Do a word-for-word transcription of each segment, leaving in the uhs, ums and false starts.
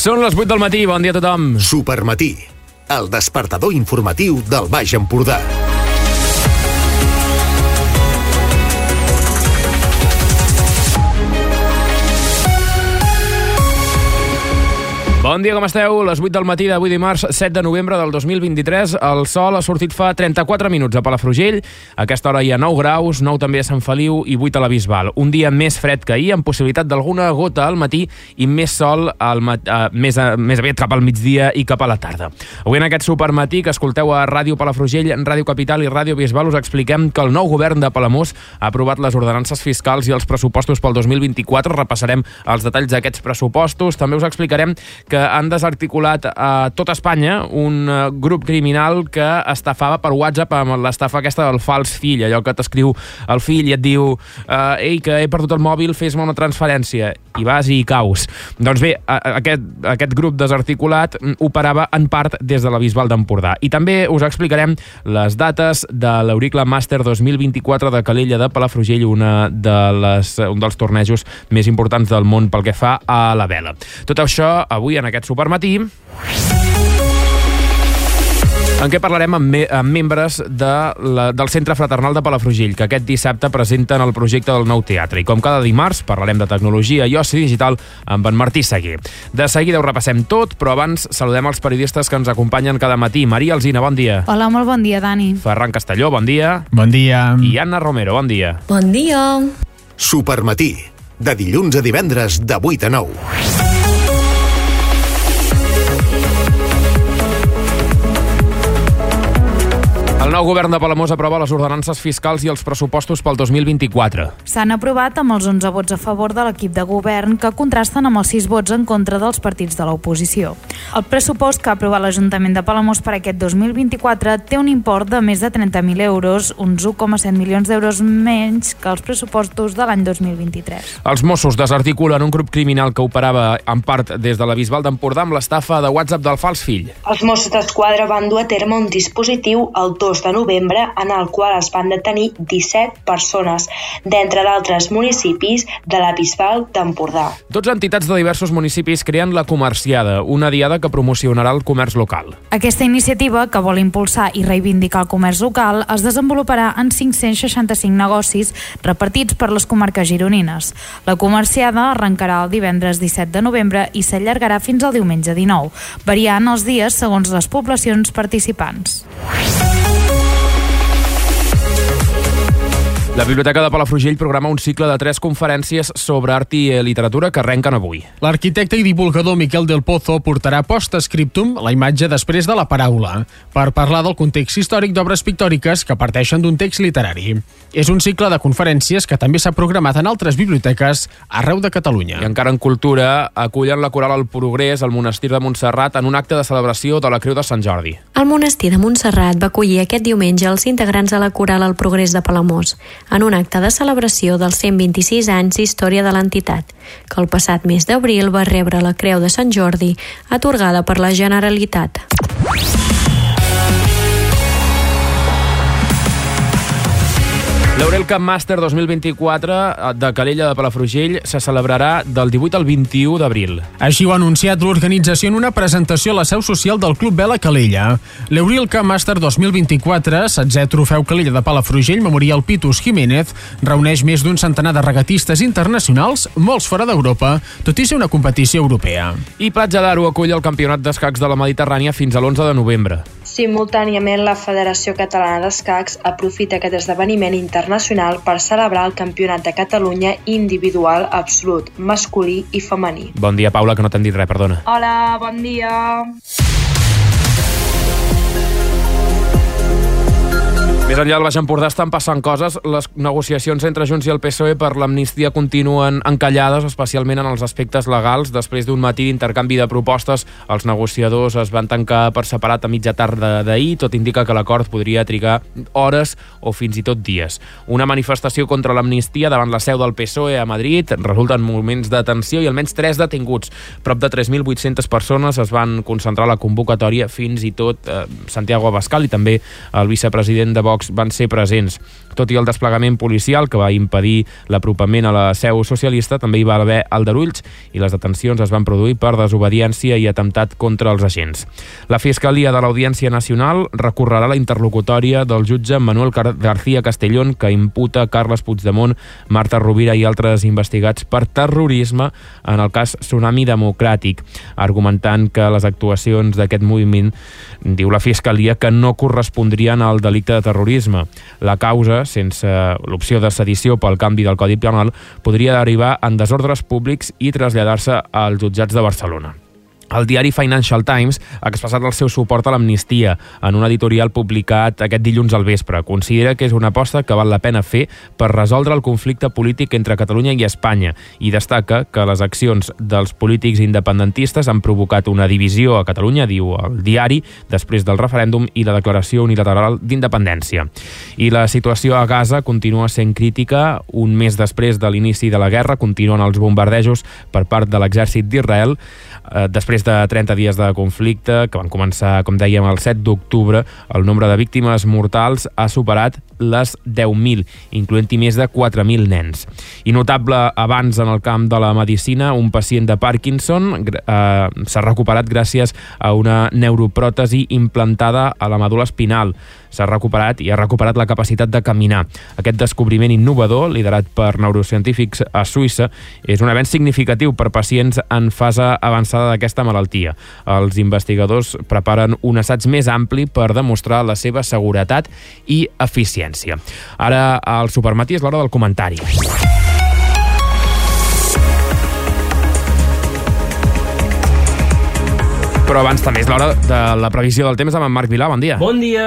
Són les vuit del matí, bon dia a tothom. Supermatí, el despertador informatiu del Baix Empordà. Bon dia, com esteu? Les vuit del matí d'avui dimarts set de novembre del dos mil vint-i-tres. El sol ha sortit fa trenta-quatre minuts a Palafrugell. A aquesta hora hi ha nou graus, nou també a Sant Feliu i vuit a la Bisbal. Un dia més fred que ahir, amb possibilitat d'alguna gota al matí i més sol al mat... uh, més, a... més aviat cap al migdia i cap a la tarda. Avui en aquest supermatí que escolteu a Ràdio Palafrugell, Ràdio Capital i Ràdio Bisbal us expliquem que el nou govern de Palamós ha aprovat les ordenances fiscals i els pressupostos pel dos mil vint-i-quatre. Repassarem els detalls d'aquests pressupostos. També us explicarem que han desarticulat a tot Espanya un grup criminal que estafava per WhatsApp amb l'estafa aquesta del fals fill, allò que t'escriu el fill i et diu uh, ei, que he perdut el mòbil, fes-me una transferència, i vas i hi caus. Doncs bé, aquest, aquest grup desarticulat operava en part des de la Bisbal d'Empordà. I també us explicarem les dates de l'Euricle Màster dos mil vint-i-quatre de Calella de Palafrugell, una de les, un dels tornejos més importants del món pel que fa a la vela. Tot això avui en aquest supermatí, en què parlarem amb, me amb membres de la, del Centre Fraternal de Palafrugell, que aquest dissabte presenten el projecte del nou teatre. I com cada dimarts, parlarem de tecnologia i oci digital amb en Martí Seguer. De seguida ho repassem tot, però abans saludem els periodistes que ens acompanyen cada matí. Maria Alsina, bon dia. Hola, molt bon dia, Dani. Ferran Castelló, bon dia. Bon dia. I Anna Romero, bon dia. Bon dia. Supermatí, de dilluns a divendres de vuit a nou. El nou govern de Palamós aprova les ordenances fiscals i els pressupostos pel dos mil vint-i-quatre. S'han aprovat amb els onze vots a favor de l'equip de govern, que contrasten amb els sis vots en contra dels partits de l'oposició. El pressupost que ha aprovat l'Ajuntament de Palamós per aquest dos mil vint-i-quatre té un import de més de trenta mil euros, uns un coma set milions d'euros menys que els pressupostos de l'any dos mil vint-i-tres. Els Mossos desarticulen un grup criminal que operava en part des de la Bisbal d'Empordà amb l'estafa de WhatsApp del fals fill. Els Mossos d'Esquadra van dur a terme un dispositiu el dos de novembre en el qual es van detenir disset persones, d'entre d'altres municipis de la Bisbal d'Empordà. Dotze entitats de diversos municipis creen la Comerciada, una diada que promocionarà el comerç local. Aquesta iniciativa, que vol impulsar i reivindicar el comerç local, es desenvoluparà en cinc-cents seixanta-cinc negocis repartits per les comarques gironines. La Comerciada arrencarà el divendres disset de novembre i s'allargarà fins al diumenge dinou, variant els dies segons les poblacions participants. La Biblioteca de Palafrugell programa un cicle de tres conferències sobre art i literatura que arrenquen avui. L'arquitecte i divulgador Miquel del Pozo portarà post-scriptum la imatge després de la paraula, per parlar del context històric d'obres pictòriques que parteixen d'un text literari. És un cicle de conferències que també s'ha programat en altres biblioteques arreu de Catalunya. I encara en cultura, acullen la coral El Progrés al monestir de Montserrat en un acte de celebració de la Creu de Sant Jordi. El monestir de Montserrat va acollir aquest diumenge els integrants de la coral El Progrés de Palamós, en un acte de celebració dels cent vint-i-sis anys d'història de l'entitat, que el passat mes d'abril va rebre la Creu de Sant Jordi, atorgada per la Generalitat. L'Euricle Màster dos mil vint-i-quatre de Calella de Palafrugell se celebrarà del divuit al vint-i-u d'abril. Així ho ha anunciat l'organització en una presentació a la seu social del Club Vela Calella. L'Euricle Màster dos mil vint-i-quatre, setzè trofeu Calella de Palafrugell Memorial Pitus Jiménez, reuneix més d'un centenar de regatistes internacionals, molts fora d'Europa, tot i ser una competició europea. I Platja d'Aro acull el Campionat d'Escacs de la Mediterrània fins a l'onze de novembre. Simultàniament, la Federació Catalana d'Escacs aprofita aquest esdeveniment internacional per celebrar el Campionat de Catalunya individual absolut, masculí i femení. Bon dia, Paula, que no t'hem dit res, perdona. Hola, bon dia. Més enllà del Baix Empordà estan passant coses. Les negociacions entre Junts i el P S O E per l'amnistia continuen encallades, especialment en els aspectes legals. Després d'un matí d'intercanvi de propostes, els negociadors es van tancar per separat a mitja tarda d'ahir. Tot indica que l'acord podria trigar hores o fins i tot dies. Una manifestació contra l'amnistia davant la seu del P S O E a Madrid resulta en moments de tensió i almenys tres detinguts. Prop de tres mil vuit-centes persones es van concentrar a la convocatòria, fins i tot eh, Santiago Abascal i també el vicepresident de Vox, pocs van ser presents. Tot i el desplegament policial que va impedir l'apropament a la seu socialista, també hi va haver aldarulls i les detencions es van produir per desobediència i atemptat contra els agents. La Fiscalia de l'Audiència Nacional recorrerà la interlocutòria del jutge Manuel García Castellón, que imputa Carles Puigdemont, Marta Rovira i altres investigats per terrorisme en el cas Tsunami Democràtic, argumentant que les actuacions d'aquest moviment, diu la Fiscalia, que no correspondrien al delicte de terrorisme. La causa, sense l'opció de sedició pel canvi del Codi Penal, podria derivar en desordres públics i traslladar-se als jutjats de Barcelona. El diari Financial Times ha expressat el seu suport a l'amnistia en un editorial publicat aquest dilluns al vespre. Considera que és una aposta que val la pena fer per resoldre el conflicte polític entre Catalunya i Espanya i destaca que les accions dels polítics independentistes han provocat una divisió a Catalunya, diu el diari, després del referèndum i la declaració unilateral d'independència. I la situació a Gaza continua sent crítica. Un mes després de l'inici de la guerra continuen els bombardejos per part de l'exèrcit d'Israel. Després de trenta dies de conflicte, que van començar, com dèiem, el set d'octubre, el nombre de víctimes mortals ha superat les deu mil, incloent-hi més de quatre mil nens. I notable avanç en el camp de la medicina, un pacient de Parkinson eh, s'ha recuperat gràcies a una neuropròtesi implantada a la medul·la espinal. S'ha recuperat i ha recuperat la capacitat de caminar. Aquest descobriment innovador, liderat per neurocientífics a Suïssa, és un avenç significatiu per pacients en fase avançada d'aquesta malaltia. Els investigadors preparen un assaig més ampli per demostrar la seva seguretat i eficiència. Ara, al Supermatí és l'hora del comentari. Però abans també és l'hora de la previsió del temps amb en Marc Vilà. Bon dia. Bon dia.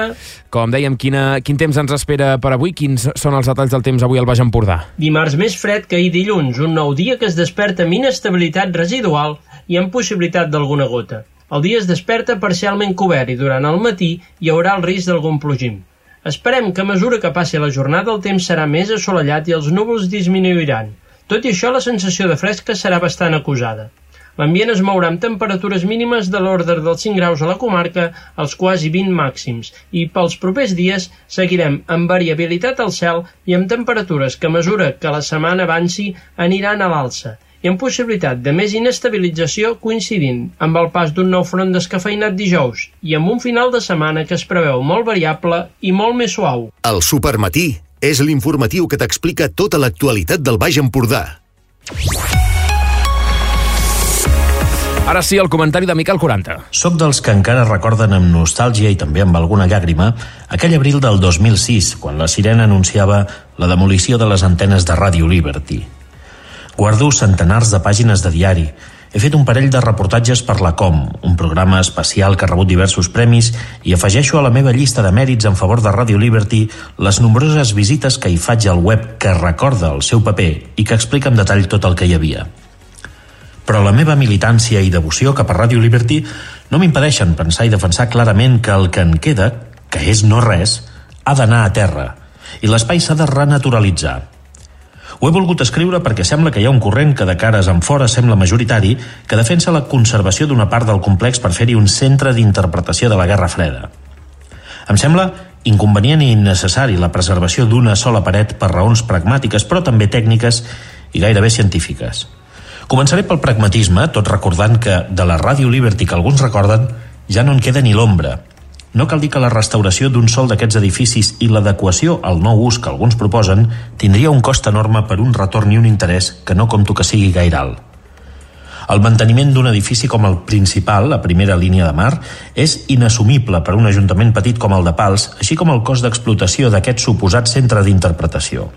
Com dèiem, quina, quin temps ens espera per avui? Quins són els detalls del temps avui al Baix Empordà? Dimarts més fred que ahir dilluns, un nou dia que es desperta amb inestabilitat residual i amb possibilitat d'alguna gota. El dia es desperta parcialment cobert i durant el matí hi haurà el risc d'algun plogim. Esperem que a mesura que passi la jornada el temps serà més assolellat i els núvols disminuiran. Tot i això, la sensació de fresca serà bastant acusada. L'ambient es mourà amb temperatures mínimes de l'ordre dels cinc graus a la comarca, als quasi vint màxims, i pels propers dies seguirem amb variabilitat al cel i amb temperatures que a mesura que la setmana avanci aniran a l'alça, i amb possibilitat de més inestabilització coincidint amb el pas d'un nou front descafeïnat dijous i amb un final de setmana que es preveu molt variable i molt més suau. El Supermatí és l'informatiu que t'explica tota l'actualitat del Baix Empordà. Ara sí, el comentari de Miquel quaranta. Soc dels que encara recorden amb nostàlgia i també amb alguna llàgrima aquell abril del dos mil sis, quan la sirena anunciava la demolició de les antenes de Ràdio Liberty. Guardo centenars de pàgines de diari. He fet un parell de reportatges per la Com, un programa especial que ha rebut diversos premis, i afegeixo a la meva llista de mèrits en favor de Ràdio Liberty les nombroses visites que hi faig al web que recorda el seu paper i que explica en detall tot el que hi havia. Però la meva militància i devoció cap a Ràdio Liberty no m'impedeixen pensar i defensar clarament que el que en queda, que és no res, ha d'anar a terra, i l'espai s'ha de renaturalitzar. Ho he volgut escriure perquè sembla que hi ha un corrent que de cares en fora sembla majoritari que defensa la conservació d'una part del complex per fer-hi un centre d'interpretació de la Guerra Freda. Em sembla inconvenient i innecessari la preservació d'una sola paret per raons pragmàtiques, però també tècniques i gairebé científiques. Començaré pel pragmatisme, tot recordant que de la Ràdio Liberty que alguns recorden ja no en queda ni l'ombra. No cal dir que la restauració d'un sol d'aquests edificis i l'adequació al nou ús que alguns proposen tindria un cost enorme per un retorn i un interès que no compto que sigui gaire alt. El manteniment d'un edifici com el principal, la primera línia de mar, és inassumible per un ajuntament petit com el de Pals, així com el cost d'explotació d'aquest suposat centre d'interpretació.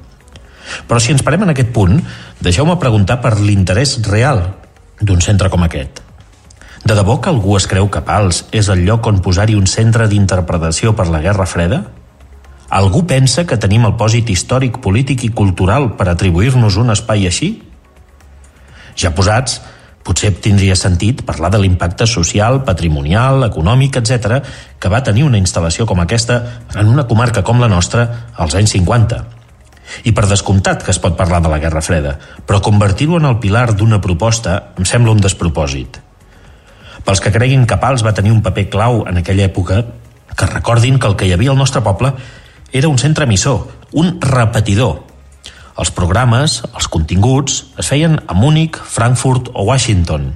Però si ens parem en aquest punt, deixeu-me preguntar per l'interès real d'un centre com aquest. De debò que algú es creu que Pals és el lloc on posar-hi un centre d'interpretació per la Guerra Freda? Algú pensa que tenim el pòsit històric, polític i cultural per atribuir-nos un espai així? Ja posats, potser tindria sentit parlar de l'impacte social, patrimonial, econòmic, etcètera, que va tenir una instal·lació com aquesta en una comarca com la nostra als anys cinquanta. I per descomptat que es pot parlar de la Guerra Freda, però convertir-ho en el pilar d'una proposta em sembla un despropòsit. Pels que creguin que Pals va tenir un paper clau en aquella època, que recordin que el que hi havia al nostre poble era un centre emissor, un repetidor. Els programes, els continguts, es feien a Múnich, Frankfurt o Washington.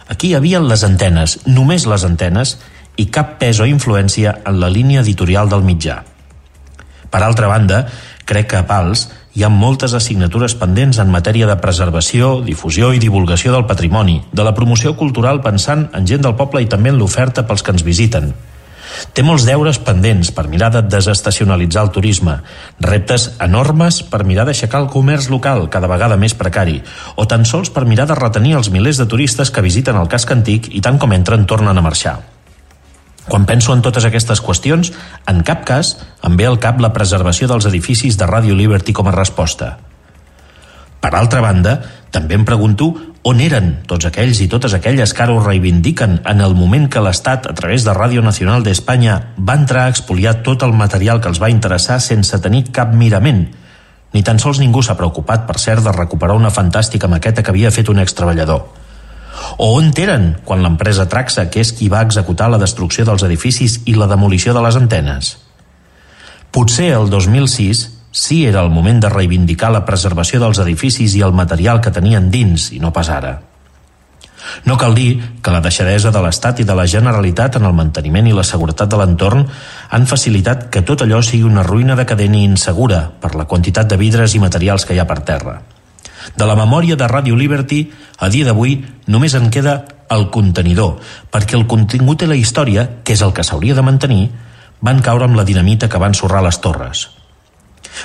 Aquí hi havia les antenes, només les antenes, i cap pes o influència en la línia editorial del mitjà. Per altra banda, crec que a Pals hi ha moltes assignatures pendents en matèria de preservació, difusió i divulgació del patrimoni, de la promoció cultural pensant en gent del poble i també en l'oferta pels que ens visiten. Té molts deures pendents per mirar de desestacionalitzar el turisme, reptes enormes per mirar d'aixecar el comerç local cada vegada més precari, o tan sols per mirar de retenir els milers de turistes que visiten el casc antic i tant com entren tornen a marxar. Quan penso en totes aquestes qüestions, en cap cas em ve al cap la preservació dels edificis de Radio Liberty com a resposta. Per altra banda, també em pregunto on eren tots aquells i totes aquelles que ara ho reivindiquen en el moment que l'Estat, a través de Radio Nacional d'Espanya, va entrar a expoliar tot el material que els va interessar sense tenir cap mirament. Ni tan sols ningú s'ha preocupat, per cert, de recuperar una fantàstica maqueta que havia fet un extreballador. O on eren quan l'empresa Traxa, que és qui va executar la destrucció dels edificis i la demolició de les antenes? Potser el dos mil sis sí era el moment de reivindicar la preservació dels edificis i el material que tenien dins, i no pas ara. No cal dir que la deixadesa de l'Estat i de la Generalitat en el manteniment i la seguretat de l'entorn han facilitat que tot allò sigui una ruïna decadent i insegura per la quantitat de vidres i materials que hi ha per terra. De la memòria de Radio Liberty, a dia d'avui, només en queda el contenidor, perquè el contingut i la història, que és el que s'hauria de mantenir, van caure amb la dinamita que va ensorrar les torres.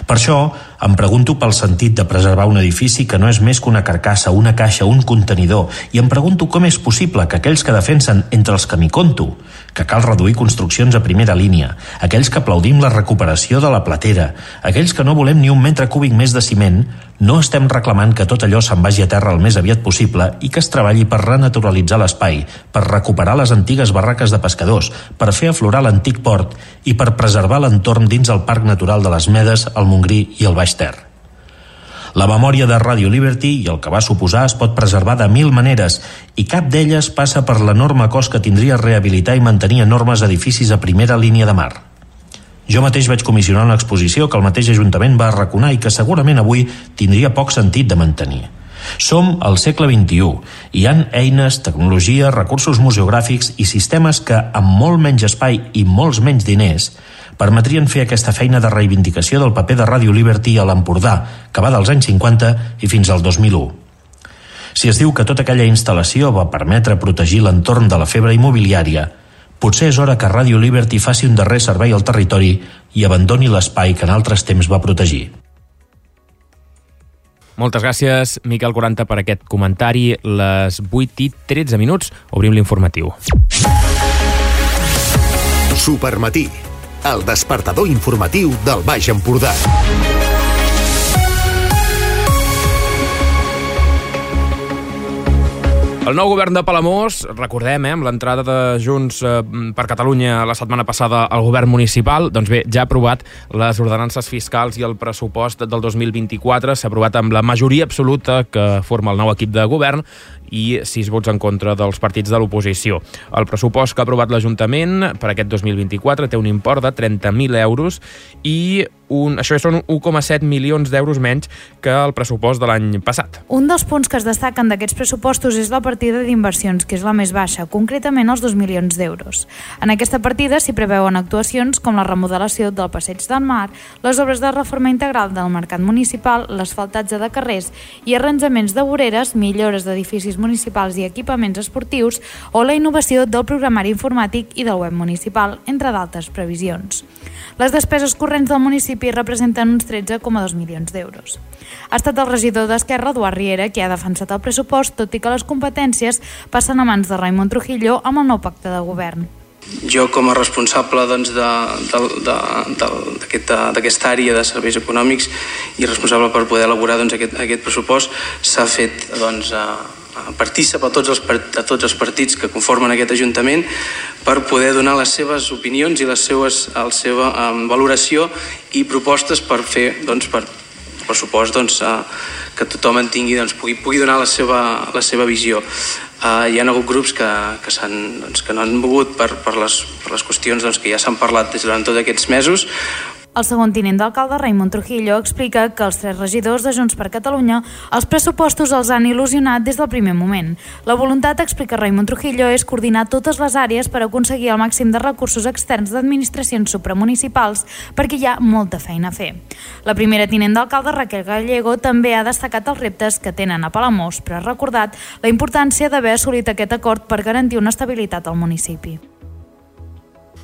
Per això em pregunto pel sentit de preservar un edifici que no és més que una carcassa, una caixa, un contenidor, i em pregunto com és possible que aquells que defensen, entre els que m'hi conto, que cal reduir construccions a primera línia, aquells que aplaudim la recuperació de la platera, aquells que no volem ni un metre cúbic més de ciment, no estem reclamant que tot allò se'n vagi a terra el més aviat possible i que es treballi per renaturalitzar l'espai, per recuperar les antigues barraques de pescadors, per fer aflorar l'antic port i per preservar l'entorn dins el Parc Natural de les Medes, el Montgrí i el Baix Ter. La memòria de Radio Liberty i el que va suposar es pot preservar de mil maneres i cap d'elles passa per l'enorme cost que tindria rehabilitar i mantenir enormes edificis a primera línia de mar. Jo mateix vaig comissionar una exposició que el mateix Ajuntament va arraconar i que segurament avui tindria poc sentit de mantenir. Som al segle vint-i-u i hi ha eines, tecnologia, recursos museogràfics i sistemes que, amb molt menys espai i molts menys diners, permetrien fer aquesta feina de reivindicació del paper de Radio Liberty a l'Empordà, que va dels anys cinquanta i fins al dos mil u. Si es diu que tota aquella instal·lació va permetre protegir l'entorn de la febre immobiliària, potser és hora que Radio Liberty faci un darrer servei al territori i abandoni l'espai que en altres temps va protegir. Moltes gràcies, Miquel quaranta, per aquest comentari. Les vuit i tretze minuts, obrim l'informatiu. Supermatí, el despertador informatiu del Baix Empordà. El nou govern de Palamós, recordem, eh, amb l'entrada de Junts eh, per Catalunya la setmana passada al govern municipal, doncs bé, ja ha aprovat les ordenances fiscals i el pressupost del dos mil vint-i-quatre. S'ha aprovat amb la majoria absoluta que forma el nou equip de govern i sis vots en contra dels partits de l'oposició. El pressupost que ha aprovat l'Ajuntament per aquest dos mil vint-i-quatre té un import de trenta mil euros i un, això són un coma set milions d'euros menys que el pressupost de l'any passat. Un dels punts que es destaquen d'aquests pressupostos és la partida d'inversions, que és la més baixa, concretament els dos milions d'euros. En aquesta partida s'hi preveuen actuacions com la remodelació del Passeig del Mar, les obres de reforma integral del mercat municipal, l'asfaltatge de carrers i arranjaments de voreres, millores d'edificis municipals i equipaments esportius o la innovació del programari informàtic i del web municipal, entre d'altres previsions. Les despeses corrents del municipi representen uns tretze coma dos milions d'euros. Ha estat el regidor d'Esquerra, Eduard Riera, qui ha defensat el pressupost, tot i que les competències passen a mans de Raimon Trujillo amb el nou pacte de govern. Jo, com a responsable doncs, d'aquesta aquest, àrea de serveis econòmics i responsable per poder elaborar doncs, aquest, aquest pressupost, s'ha fet doncs, a, a partícip a tots, els, a tots els partits que conformen aquest Ajuntament per poder donar les seves opinions i les seues, la seva um, valoració i propostes per fer doncs, per pressupost doncs, uh, que tothom en tingui, doncs, pugui, pugui donar la seva, la seva visió. Uh, hi ha hagut grups que, que, doncs, que no han mogut per, per, les, per les qüestions doncs, que ja s'han parlat durant tots aquests mesos, El segon tinent d'alcalde, Raimon Trujillo, explica que els tres regidors de Junts per Catalunya els pressupostos els han il·lusionat des del primer moment. La voluntat, explica Raimon Trujillo, és coordinar totes les àrees per aconseguir el màxim de recursos externs d'administracions supramunicipals perquè hi ha molta feina a fer. La primera tinent d'alcalde, Raquel Gallego, també ha destacat els reptes que tenen a Palamós, però ha recordat la importància d'haver assolit aquest acord per garantir una estabilitat al municipi.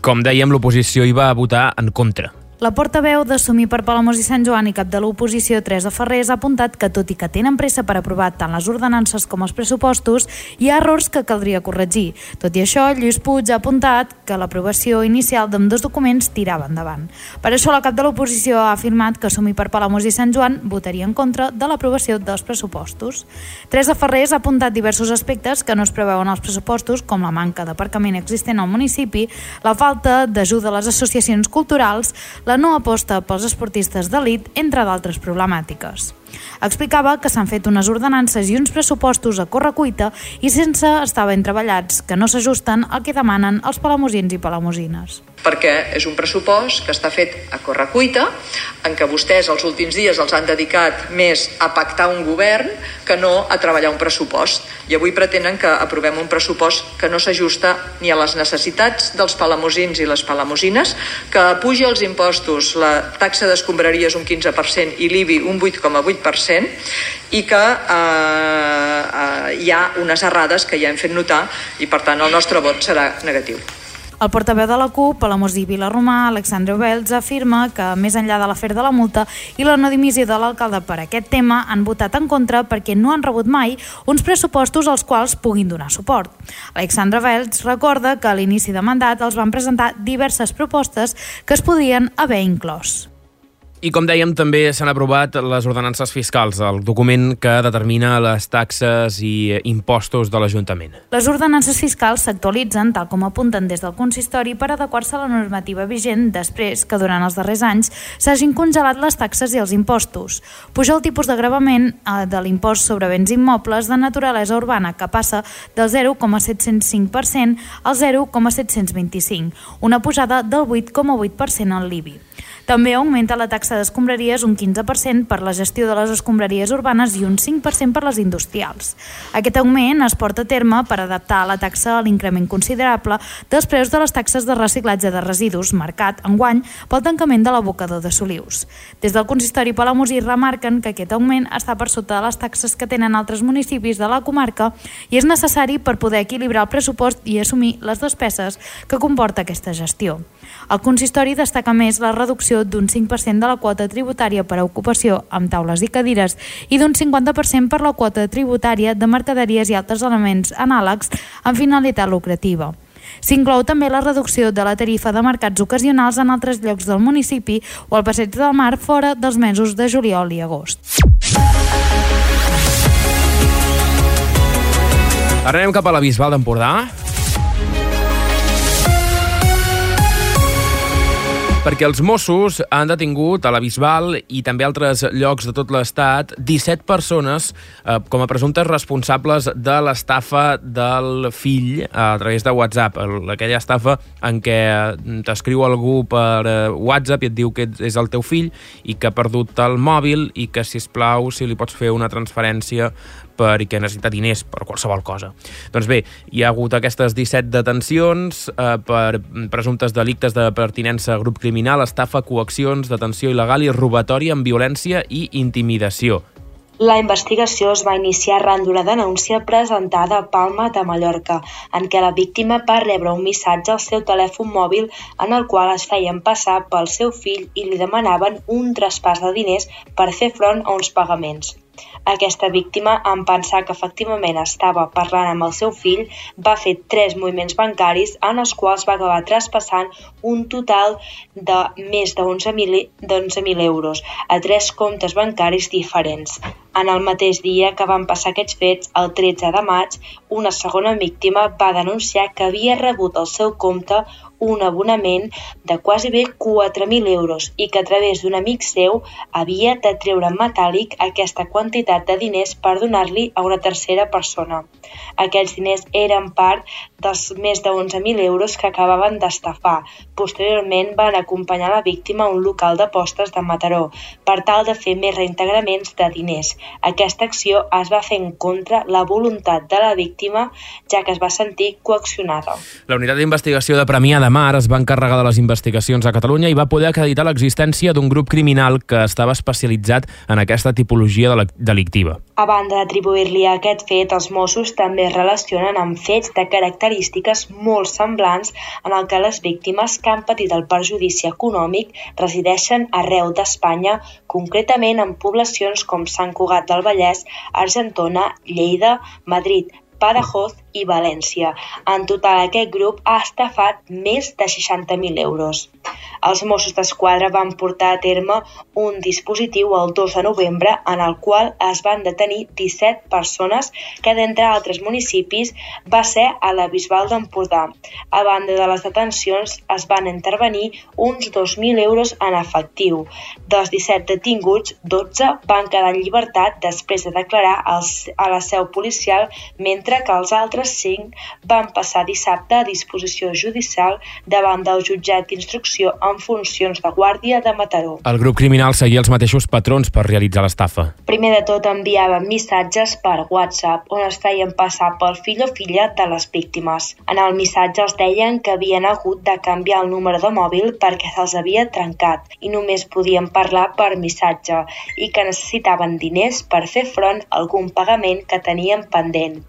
Com dèiem, l'oposició hi va votar en contra. La portaveu d'Assumir per Palamós i Sant Joan i cap de l'oposició, Teresa Ferrés, ha apuntat que, tot i que tenen pressa per aprovar tant les ordenances com els pressupostos, hi ha errors que caldria corregir. Tot i això, Lluís Puig ha apuntat que l'aprovació inicial d'ambdós documents tirava endavant. Per això, la cap de l'oposició ha afirmat que Assumir per Palamós i Sant Joan votaria en contra de l'aprovació dels pressupostos. Teresa Ferrés ha apuntat diversos aspectes que no es preveuen als pressupostos, com la manca d'aparcament existent al municipi, la falta d'ajuda a les associacions culturals, la no aposta pels esportistes d'elit, entre d'altres problemàtiques. Explicava que s'han fet unes ordenances i uns pressupostos a correcuita i sense estar ben treballats, que no s'ajusten al que demanen els palamosins i palamosines. Perquè és un pressupost que està fet a correcuita, en què vostès els últims dies els han dedicat més a pactar un govern que no a treballar un pressupost. I avui pretenen que aprovem un pressupost que no s'ajusta ni a les necessitats dels palamosins i les palamosines, que puja els impostos, la taxa d'escombraries un quinze per cent i l'I B I un vuit coma vuit per cent, i que eh, eh, hi ha unes errades que ja hem fet notar i, per tant, el nostre vot serà negatiu. El portaveu de la CUP, Palamós i Vilarromà, Alexandre Belz, afirma que, més enllà de l'afer de la multa i la no dimissió de l'alcalde per aquest tema, han votat en contra perquè no han rebut mai uns pressupostos als quals puguin donar suport. Alexandre Belz recorda que a l'inici de mandat els van presentar diverses propostes que es podrien haver inclòs. I com dèiem, també s'han aprovat les ordenances fiscals, el document que determina les taxes i impostos de l'Ajuntament. Les ordenances fiscals s'actualitzen, tal com apunten des del consistori, per adequar-se a la normativa vigent després que durant els darrers anys s'hagin congelat les taxes i els impostos. Puja el tipus de gravament de l'impost sobre béns immobles de naturalesa urbana, que passa del zero coma set-cents cinc per cent al zero coma set-cents vint-i-cinc, una pujada del vuit coma vuit per cent en l'I B I. També augmenta la taxa d'escombraries un quinze per cent per la gestió de les escombraries urbanes i un cinc per cent per les industrials. Aquest augment es porta a terme per adaptar la taxa a l'increment considerable dels preus de les taxes de reciclatge de residus marcat enguany pel tancament de l'abocador de Solius. Des del consistori palamosí remarquen que aquest augment està per sota de les taxes que tenen altres municipis de la comarca i és necessari per poder equilibrar el pressupost i assumir les despeses que comporta aquesta gestió. El consistori destaca més la reducció d'un cinc per cent de la quota tributària per a ocupació amb taules i cadires i d'un cinquanta per cent per la quota tributària de mercaderies i altres elements anàlegs amb finalitat lucrativa. S'inclou també la reducció de la tarifa de mercats ocasionals en altres llocs del municipi o al Passeig del Mar fora dels mesos de juliol i agost. Ara anem cap a la Bisbal d'Empordà, perquè els Mossos han detingut a la Bisbal i també a altres llocs de tot l'Estat disset persones eh, com a presumptes responsables de l'estafa del fill a través de WhatsApp, aquella estafa en què t'escriu algú per eh, WhatsApp i et diu que és el teu fill i que ha perdut el mòbil i que, sisplau, si li pots fer una transferència perquè necessita diners per qualsevol cosa. Doncs bé, hi ha hagut aquestes disset detencions eh, per presumptes delictes de pertinença a grup criminal, estafa, coaccions, detenció il·legal i robatori amb violència i intimidació. La investigació es va iniciar arran d'una denúncia presentada a Palma de Mallorca, en què la víctima va rebre un missatge al seu telèfon mòbil en el qual es feien passar pel seu fill i li demanaven un traspàs de diners per fer front a uns pagaments. Aquesta víctima, en pensar que efectivament estava parlant amb el seu fill, va fer tres moviments bancaris en els quals va acabar traspassant un total de més d'onze mil euros a tres comptes bancaris diferents. En el mateix dia que van passar aquests fets, el tretze de maig, una segona víctima va denunciar que havia rebut al seu compte un abonament de quasi bé quatre mil euros i que a través d'un amic seu havia de treure en metàl·lic aquesta quantitat de diners per donar-li a una tercera persona. Aquests diners eren part dels més de onze mil euros que acabaven d'estafar. Posteriorment van acompanyar la víctima a un local d'apostes de Mataró per tal de fer més reintegraments de diners. Aquesta acció es va fer en contra la voluntat de la víctima, ja que es va sentir coaccionada. La unitat d'investigació de Premià de Mar es va encarregar de les investigacions a Catalunya i va poder acreditar l'existència d'un grup criminal que estava especialitzat en aquesta tipologia delictiva. A banda d'atribuir-li a aquest fet, els Mossos també es relacionen amb fets de característiques molt semblants en el que les víctimes que han patit el perjudici econòmic resideixen arreu d'Espanya, concretament en poblacions com Sant Cugat del Vallès, Argentona, Lleida, Madrid, Badajoz i València. En total, aquest grup ha estafat més de seixanta mil euros. Els Mossos d'Esquadra van portar a terme un dispositiu el dos de novembre en el qual es van detenir disset persones que, d'entre altres municipis, va ser a la Bisbal d'Empordà. A banda de les detencions, es van intervenir uns dos mil euros en efectiu. Dels disset detinguts, dotze van quedar en llibertat després de declarar als, a la seu policial, mentre que els altres cinc van passar dissabte a disposició judicial davant del jutjat d'instrucció en funcions de guàrdia de Mataró. El grup criminal seguia els mateixos patrons per realitzar l'estafa. Primer de tot enviaven missatges per WhatsApp on es feien passar pel fill o filla de les víctimes. En el missatge els deien que havien hagut de canviar el número de mòbil perquè se'ls havia trencat i només podien parlar per missatge i que necessitaven diners per fer front a algun pagament que tenien pendent.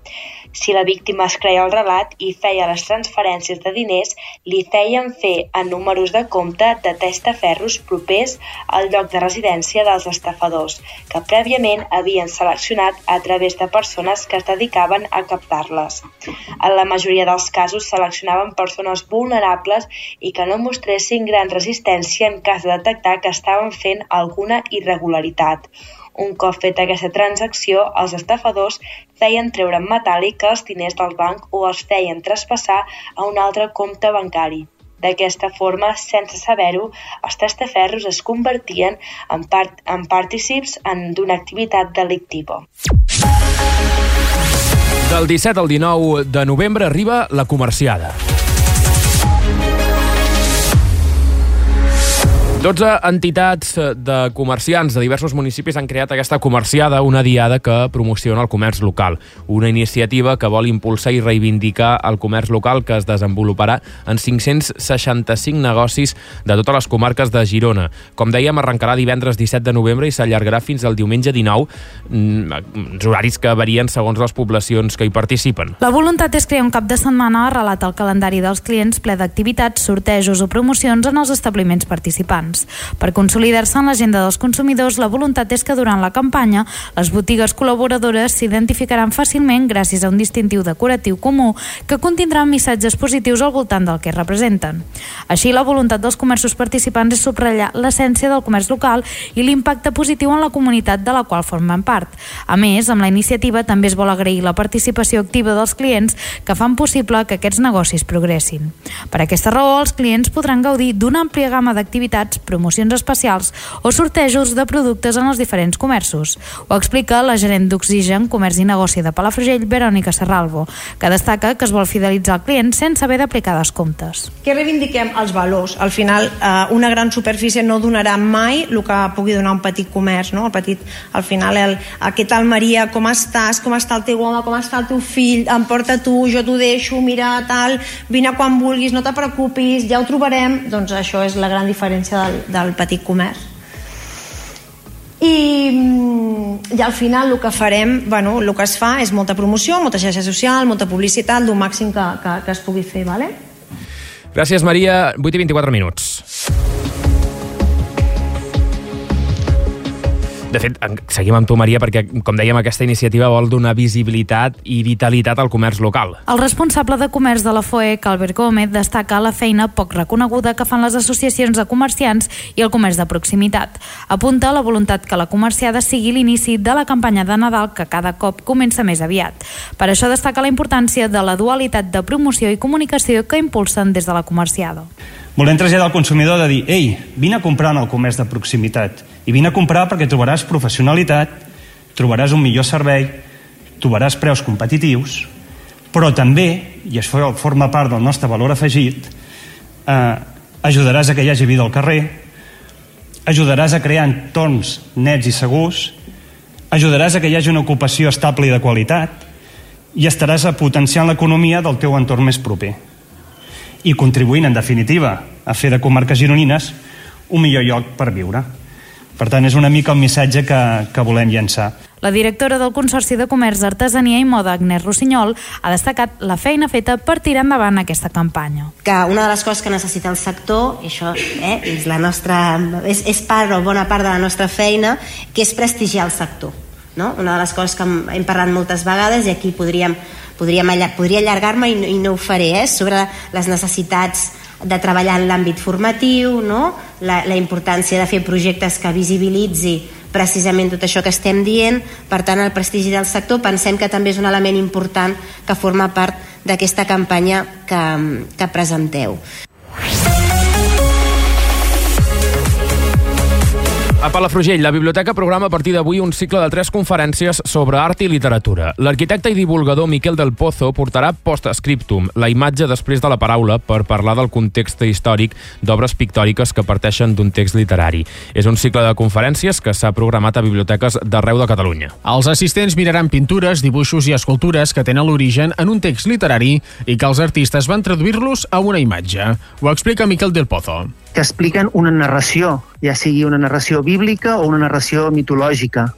Si la víctima es creia el relat i feia les transferències de diners, li feien fer en números de compte de testaferros propers al lloc de residència dels estafadors, que prèviament havien seleccionat a través de persones que es dedicaven a captar-les. En la majoria dels casos seleccionaven persones vulnerables i que no mostressin gran resistència en cas de detectar que estaven fent alguna irregularitat. Un cop feta aquesta transacció, els estafadors feien treure en metàl·lic els diners del banc o els feien traspassar a un altre compte bancari. D'aquesta forma, sense saber-ho, els testaferros es convertien en, part, en partícips d'una activitat delictiva. Del disset al dinou de novembre arriba la comerciada. dotze entitats de comerciants de diversos municipis han creat aquesta comerciada, una diada que promociona el comerç local. Una iniciativa que vol impulsar i reivindicar el comerç local que es desenvoluparà en cinc-cents seixanta-cinc negocis de totes les comarques de Girona. Com dèiem, arrencarà divendres disset de novembre i s'allargarà fins al diumenge dinou, uns horaris que varien segons les poblacions que hi participen. La voluntat és crear un cap de setmana arrelat al calendari dels clients ple d'activitats, sortejos o promocions en els establiments participants. Per consolidar-se en l'agenda dels consumidors, la voluntat és que durant la campanya les botigues col·laboradores s'identificaran fàcilment gràcies a un distintiu decoratiu comú que contindrà missatges positius al voltant del que representen. Així, la voluntat dels comerços participants és subratllar l'essència del comerç local i l'impacte positiu en la comunitat de la qual formen part. A més, amb la iniciativa també es vol agrair la participació activa dels clients que fan possible que aquests negocis progressin. Per aquesta raó, els clients podran gaudir d'una àmplia gamma d'activitats, promocions especials o sortejos de productes en els diferents comerços. Ho explica la gerent d'Oxigen, Comerç i Negoci de Palafrugell, Verònica Serralvo, que destaca que es vol fidelitzar el client sense haver d'aplicar descomptes. Que reivindiquem els valors. Al final, eh, una gran superfície no donarà mai el que pugui donar un petit comerç, no? El petit, al final, el, què tal Maria, com estàs, com està el teu home, com està el teu fill, em porta tu, jo t'ho deixo, mira, tal, vine quan vulguis, no te preocupis, ja ho trobarem. Doncs això és la gran diferència del del petit comerç. I, i al final el que farem, bueno, el que es fa és molta promoció, molta xarxa social, molta publicitat, el màxim que, que, que es pugui fer, vale? Gràcies, Maria. vuit i vint-i-quatre minuts. De fet, seguim amb tu, Maria, perquè, com dèiem, aquesta iniciativa vol donar visibilitat i vitalitat al comerç local. El responsable de comerç de la F O E C, Albert Gómez, destaca la feina poc reconeguda que fan les associacions de comerciants i el comerç de proximitat. Apunta la voluntat que la comerciada sigui l'inici de la campanya de Nadal, que cada cop comença més aviat. Per això destaca la importància de la dualitat de promoció i comunicació que impulsen des de la comerciada. Volem traslladar al consumidor de dir: ei, vine a comprar en el comerç de proximitat, i vine a comprar perquè trobaràs professionalitat, trobaràs un millor servei, trobaràs preus competitius, però també, i això forma part del nostre valor afegit, eh, ajudaràs a que hi hagi vida al carrer, ajudaràs a crear entorns nets i segurs, ajudaràs a que hi hagi una ocupació estable i de qualitat, i estaràs potenciant l'economia del teu entorn més proper i contribuint, en definitiva, a fer de comarques gironines un millor lloc per viure. Per tant, és una mica el missatge que, que volem llançar. La directora del Consorci de Comerç, Artesania i Moda, Agnès Rossinyol, ha destacat la feina feta per tirar endavant aquesta campanya. Que una de les coses que necessita el sector, i això eh, és, la nostra, és, és part o bona part de la nostra feina, que és prestigiar el sector. No? Una de les coses que hem, hem parlat moltes vegades, i aquí podríem, podríem podria allargar-me i, i no ho faré, eh, sobre les necessitats de treballar en l'àmbit formatiu, no? la, la importància de fer projectes que visibilitzi precisament tot això que estem dient. Per tant, el prestigi del sector pensem que també és un element important que forma part d'aquesta campanya que, que presenteu. A Palafrugell, la biblioteca programa a partir d'avui un cicle de tres conferències sobre art i literatura. L'arquitecte i divulgador Miquel del Pozo portarà post-scriptum, la imatge després de la paraula, per parlar del context històric d'obres pictòriques que parteixen d'un text literari. És un cicle de conferències que s'ha programat a biblioteques d'arreu de Catalunya. Els assistents miraran pintures, dibuixos i escultures que tenen l'origen en un text literari i que els artistes van traduir-los a una imatge. Ho explica Miquel del Pozo. Que expliquen una narració, ja sigui una narració bíblica o una narració mitològica.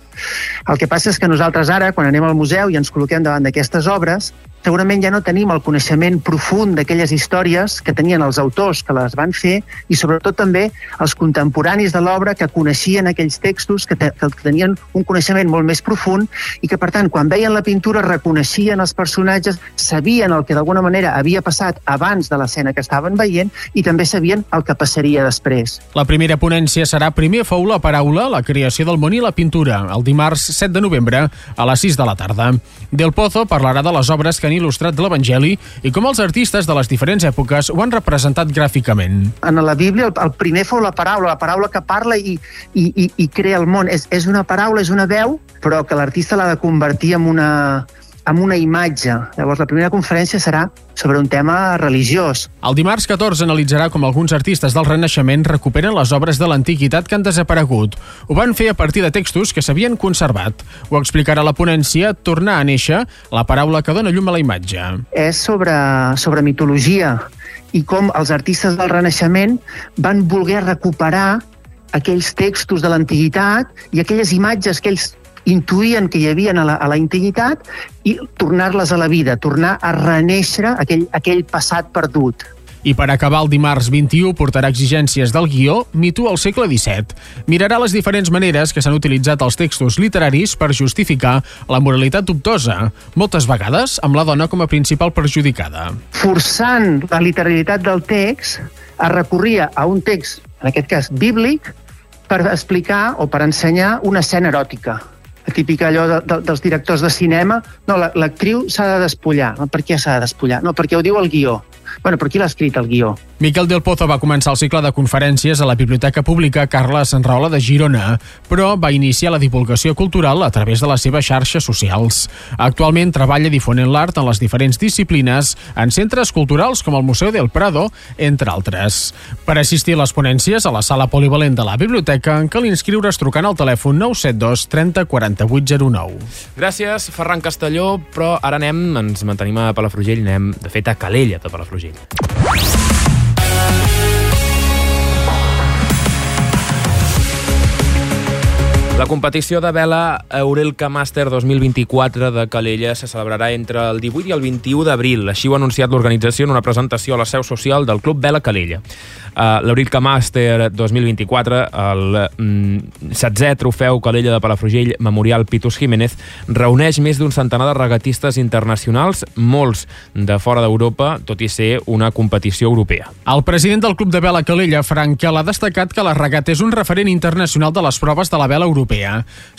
El que passa és que nosaltres ara, quan anem al museu i ens col·loquem davant d'aquestes obres, segurament ja no tenim el coneixement profund d'aquelles històries que tenien els autors que les van fer i sobretot també els contemporanis de l'obra que coneixien aquells textos, que, te, que tenien un coneixement molt més profund i que, per tant, quan veien la pintura reconeixien els personatges, sabien el que d'alguna manera havia passat abans de l'escena que estaven veient i també sabien el que passaria després. La primera ponència serà Primer fou la paraula, la creació del món i la pintura, el dimarts set de novembre a les sis de la tarda. Del Pozo parlarà de les obres que han il·lustrat de l'Evangeli i com els artistes de les diferents èpoques ho han representat gràficament. En la Bíblia el, el primer fou la paraula, la paraula que parla i, i, i, i crea el món. És, és una paraula, és una veu, però que l'artista l'ha de convertir en una, en una imatge. Llavors la primera conferència serà sobre un tema religiós. El dimarts catorze analitzarà com alguns artistes del Renaixement recuperen les obres de l'antiguitat que han desaparegut. Ho van fer a partir de textos que s'havien conservat. Ho explicarà la ponència Tornar a néixer, la paraula que dona llum a la imatge. És sobre, sobre mitologia i com els artistes del Renaixement van voler recuperar aquells textos de l'antiguitat i aquelles imatges que ells intuïen que hi havia a la, a la antiguitat i tornar-les a la vida, tornar a renéixer aquell, aquell passat perdut. I per acabar, el dimarts vint-i-u portarà exigències del guió Mito al segle disset. Mirarà les diferents maneres que s'han utilitzat els textos literaris per justificar la moralitat dubtosa, moltes vegades amb la dona com a principal perjudicada. Forçant la literalitat del text, es recorria a un text, en aquest cas bíblic, per explicar o per ensenyar una escena eròtica. La típica allò de, de, dels directors de cinema, no, l'actriu s'ha de despullar. No, per què s'ha de despullar? No, perquè ho diu el guió. Bueno, però qui l'ha escrit, el guió? Miquel del Pozo va començar el cicle de conferències a la Biblioteca Pública Carles Sanraola de Girona, però va iniciar la divulgació cultural a través de les seves xarxes socials. Actualment treballa difonent l'art en les diferents disciplines en centres culturals com el Museu del Prado, entre altres. Per assistir a les ponències a la sala polivalent de la biblioteca, cal inscriure's trucant al telèfon nou set dos trenta quaranta-vuit zero nou. Gràcies, Ferran Castelló, però ara anem, ens mantenim a Palafrugell, anem, de fet, a Calella de Palafrugell. La competició de vela Eurelka Master dos mil vint-i-quatre de Calella se celebrarà entre el divuit i el vint-i-u d'abril. Així ho ha anunciat l'organització en una presentació a la seu social del Club Vela Calella. Uh, L'Eurelka Master dos mil vint-i-quatre, el mm, setzè trofeu Calella de Palafrugell Memorial Pitus Jiménez, reuneix més d'un centenar de regatistes internacionals, molts de fora d'Europa, tot i ser una competició europea. El president del Club de Vela Calella, Frank Kel, ha destacat que la regata és un referent internacional de les proves de la vela europea.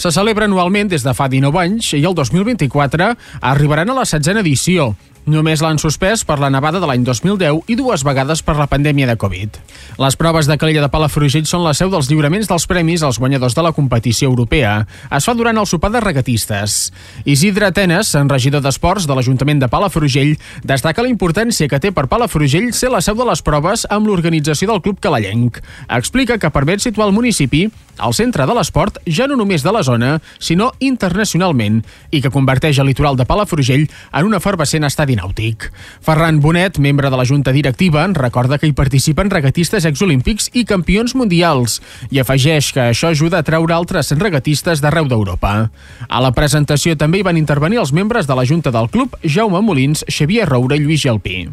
Se celebra anualment des de fa dinou anys i el dos mil vint-i-quatre arribaran a la setzena edició. Només l'han suspès per la nevada de l'any dos mil deu i dues vegades per la pandèmia de Covid. Les proves de Calella de Palafrugell són la seu dels lliuraments dels premis als guanyadors de la competició europea. Es fa durant el sopar de regatistes. Isidre Atenes, regidor d'Esports de l'Ajuntament de Palafrugell, destaca la importància que té per Palafrugell ser la seu de les proves amb l'organització del Club Calellenc. Explica que permet situar el municipi al centre de l'esport ja no només de la zona, sinó internacionalment, i que converteix el litoral de Palafrugell en un efervescent estadi nàutic. Ferran Bonet, membre de la Junta Directiva, recorda que hi participen regatistes exolímpics i campions mundials i afegeix que això ajuda a treure altres regatistes d'arreu d'Europa. A la presentació també hi van intervenir els membres de la Junta del Club, Jaume Molins, Xavier Roura i Lluís Gelpí.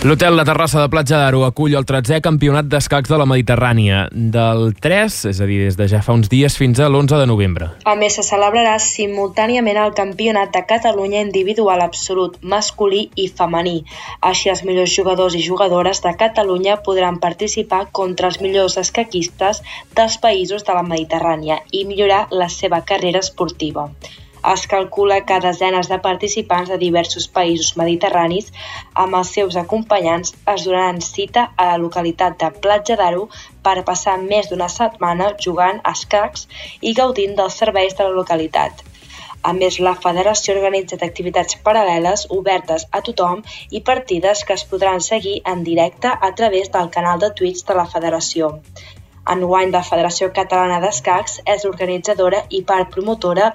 L'hotel La Terrassa de Platja d'Aro acull el tretzè campionat d'escacs de la Mediterrània, del tres, és a dir, des de ja fa uns dies fins a l'onze de novembre. A més, se celebrarà simultàniament el Campionat de Catalunya individual absolut, masculí i femení. Així, els millors jugadors i jugadores de Catalunya podran participar contra els millors escaquistes dels països de la Mediterrània i millorar la seva carrera esportiva. Es calcula que desenes de participants de diversos països mediterranis amb els seus acompanyants es donaran cita a la localitat de Platja d'Aro per passar més d'una setmana jugant a escacs i gaudint dels serveis de la localitat. A més, la federació ha organitzat activitats paral·leles obertes a tothom i partides que es podran seguir en directe a través del canal de Twitch de la federació. Enguany, la Federació Catalana d'Escacs és organitzadora i part promotora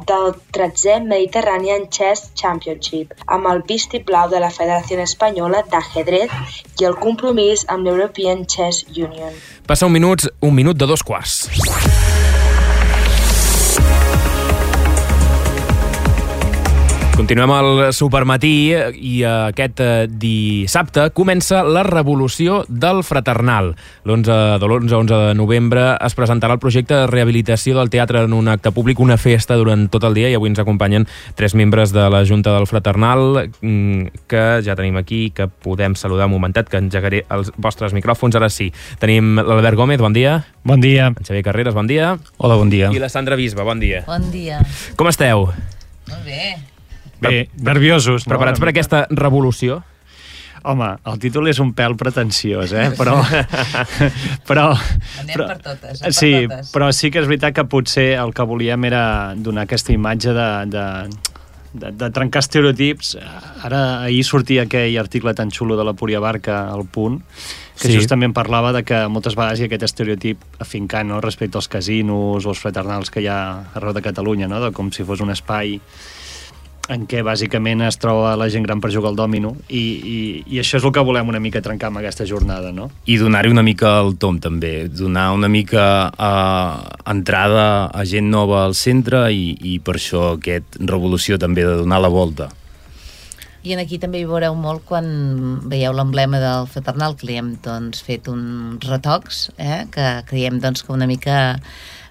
del tretzè Mediterranean Chess Championship, amb el vistiplau de la Federació Espanyola d'Ajedrez i el compromís amb l'European Chess Union. Passa un minut, un minut de dos quarts. Continuem al Supermatí i aquest dissabte comença la revolució del Fraternal. L'onze de l'onze a onze de novembre es presentarà el projecte de rehabilitació del teatre en un acte públic, una festa durant tot el dia, i avui ens acompanyen tres membres de la Junta del Fraternal que ja tenim aquí, que podem saludar un momentet, que engegaré els vostres micròfons. Ara sí. Tenim l'Albert Gómez, bon dia. Bon dia. En Xavier Carreras, bon dia. Hola, bon dia. I la Sandra Bisba, bon dia. Bon dia. Com esteu? Molt bé. Bé, nerviosos. Preparats no? per aquesta revolució? Home, el títol és un pèl pretensiós, eh? Però... però Anem però, per totes, per sí, totes. però sí que és veritat que potser el que volíem era donar aquesta imatge de... de De, de trencar estereotips. Ara, ahir sortia aquell article tan xulo de la Púria Barca al Punt, que sí. justament parlava de que moltes vegades hi ha aquest estereotip afincant, no?, respecte als casinos o als fraternals que hi ha arreu de Catalunya, no?, de com si fos un espai en què bàsicament es troba la gent gran per jugar al dòmino, i, i, i això és el que volem una mica trencar amb aquesta jornada, no? I donar-hi una mica el tom, també. Donar una mica uh, entrada a gent nova al centre, i, i per això aquest revolució també de donar la volta. I en aquí també hi veureu molt quan veieu l'emblema del Fraternal, que li hem doncs, fet uns retocs, eh? Que creiem doncs, que una mica...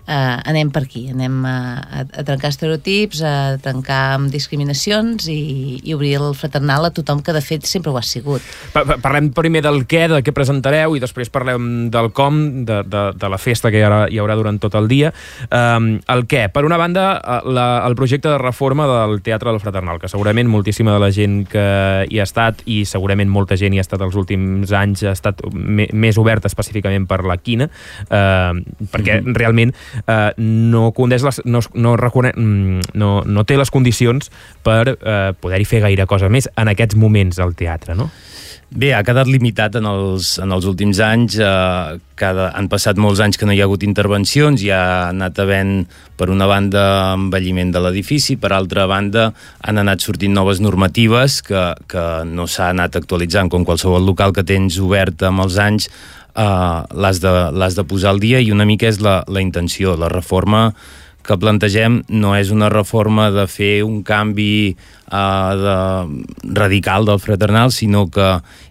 Uh, anem per aquí, anem a, a, a trencar estereotips, a trencar amb discriminacions i, i obrir el Fraternal a tothom, que de fet sempre ho ha sigut. Pa Parlem primer del què, de què presentareu, i després parlem del com, de, de, de la festa que hi haurà, hi haurà durant tot el dia. Um, el què, per una banda, la, el projecte de reforma del Teatre del Fraternal, que segurament moltíssima de la gent que hi ha estat, i segurament molta gent hi ha estat els últims anys, ha estat me més oberta específicament per la quina, uh, perquè mm-hmm. realment Uh, no, les, no, no, no, no té les condicions per uh, poder-hi fer gaire cosa més en aquests moments al teatre, no? Bé, ha quedat limitat en els, en els últims anys. Eh, cada, han passat molts anys que no hi ha hagut intervencions, i ha anat havent, per una banda, envelliment de l'edifici, per altra banda, han anat sortint noves normatives que, que no s'ha anat actualitzant, com qualsevol local que tens obert amb els anys. uh, l'has de, l'has de posar al dia, i una mica és la, la intenció. La reforma que plantegem no és una reforma de fer un canvi uh, de, radical del fraternal, sinó que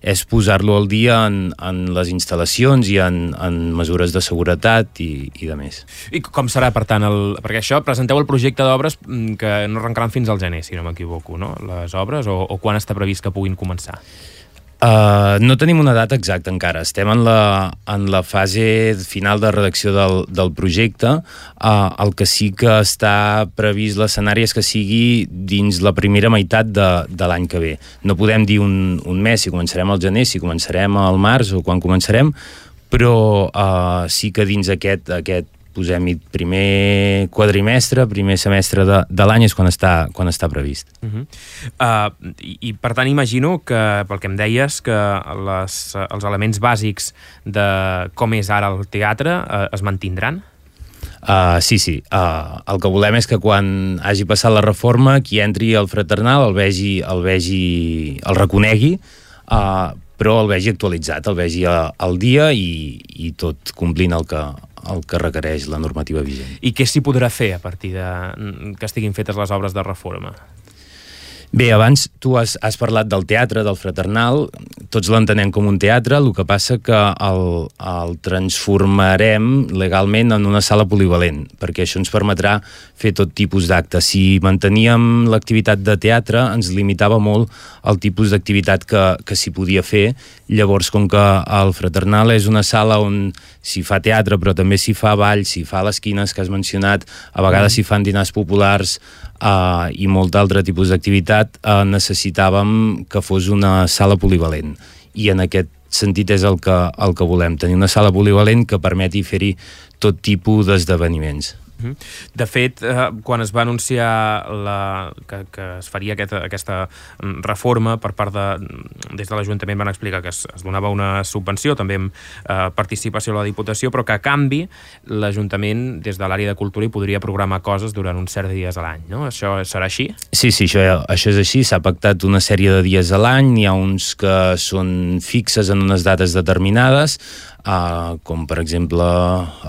és posar-lo al dia en, en les instal·lacions i en, en mesures de seguretat i, i de més. I com serà, per tant, el, perquè això, presenteu el projecte d'obres que no arrencaran fins al gener, si no m'equivoco, no? Les obres, o, o quan està previst que puguin començar? Uh, no tenim una data exacta encara. Estem en la, en la fase final de redacció del, del projecte. Uh, el que sí que està previst l'escenari és que sigui dins la primera meitat de, de l'any que ve. No podem dir un, un mes, si començarem al gener, si començarem al març o quan començarem, però uh, sí que dins aquest, aquest posem-hi primer quadrimestre, primer semestre de, de l'any és quan està, quan està previst. Uh-huh. uh, i, I per tant imagino que, pel que em deies, que les, els elements bàsics de com és ara el teatre uh, es mantindran? Uh, sí, sí. Uh, el que volem és que quan hagi passat la reforma, qui entri al fraternal el vegi, el vegi, el reconegui, uh, però el vegi actualitzat, el vegi al dia i, i tot complint el que, el que requereix la normativa vigent. I què s'hi podrà fer a partir de que estiguin fetes les obres de reforma? Bé, abans tu has, has parlat del teatre, del fraternal, tots l'entenem com un teatre, el que passa que el, el transformarem legalment en una sala polivalent, perquè això ens permetrà fer tot tipus d'actes. Si manteníem l'activitat de teatre, ens limitava molt el tipus d'activitat que, que s'hi podia fer. Llavors, com que el fraternal és una sala on s'hi fa teatre, però també s'hi fa ball, s'hi fa les quines que has mencionat, a vegades s'hi fan dinars populars, Uh, i molt d'altre tipus d'activitat, uh, necessitàvem que fos una sala polivalent, i en aquest sentit és el que, el que volem, tenir una sala polivalent que permeti fer-hi tot tipus d'esdeveniments. De fet, eh, quan es va anunciar la, que, que es faria aquest, aquesta reforma per part de... Des de l'Ajuntament van explicar que es, es donava una subvenció, també amb eh, participació a la Diputació, però que a canvi l'Ajuntament, des de l'àrea de cultura, hi podria programar coses durant uns certs dies a l'any, no? Això serà així? Sí, sí, això, això és així. S'ha pactat una sèrie de dies a l'any, n'hi ha uns que són fixes en unes dates determinades, Uh, com per exemple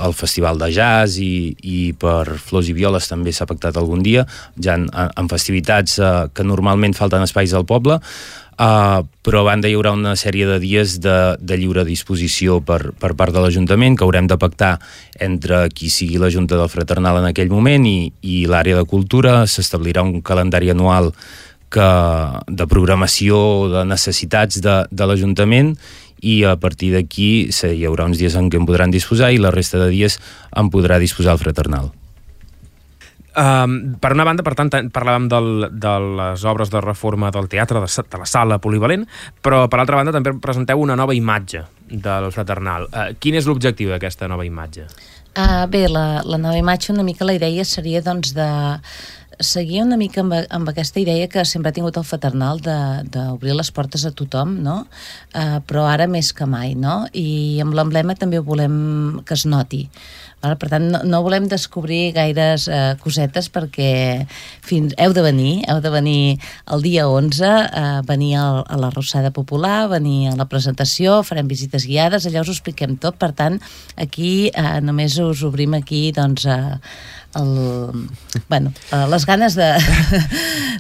el Festival de Jazz, i, i per Flors i Violes també s'ha pactat algun dia, ja en, en festivitats uh, que normalment falten espais al poble, uh, però a banda hi haurà una sèrie de dies de, de lliure disposició per, per part de l'Ajuntament, que haurem de pactar entre qui sigui la Junta del Fraternal en aquell moment i, i l'àrea de cultura. S'establirà un calendari anual que, de programació de necessitats de, de l'Ajuntament, i a partir d'aquí hi haurà uns dies en què en podran disposar i la resta de dies en podrà disposar el fraternal. Um, per una banda, per tant, parlàvem del, de les obres de reforma del teatre, de, de la sala polivalent, però per altra banda també presenteu una nova imatge del fraternal. Uh, quin és l'objectiu d'aquesta nova imatge? Uh, bé, la, la nova imatge, una mica la idea seria doncs de seguir una mica amb, amb aquesta idea que sempre ha tingut el fraternal d'obrir les portes a tothom, no? Uh, però ara més que mai, no? I amb l'emblema també volem que es noti. Vale? Per tant, no, no volem descobrir gaires uh, cosetes, perquè fins, heu de venir, heu de venir el dia onze, uh, venir a, a la Rossada Popular, venir a la presentació, farem visites guiades, allà us ho expliquem tot. Per tant, aquí uh, només us obrim aquí, doncs, uh, el, bueno, uh, les ganes de,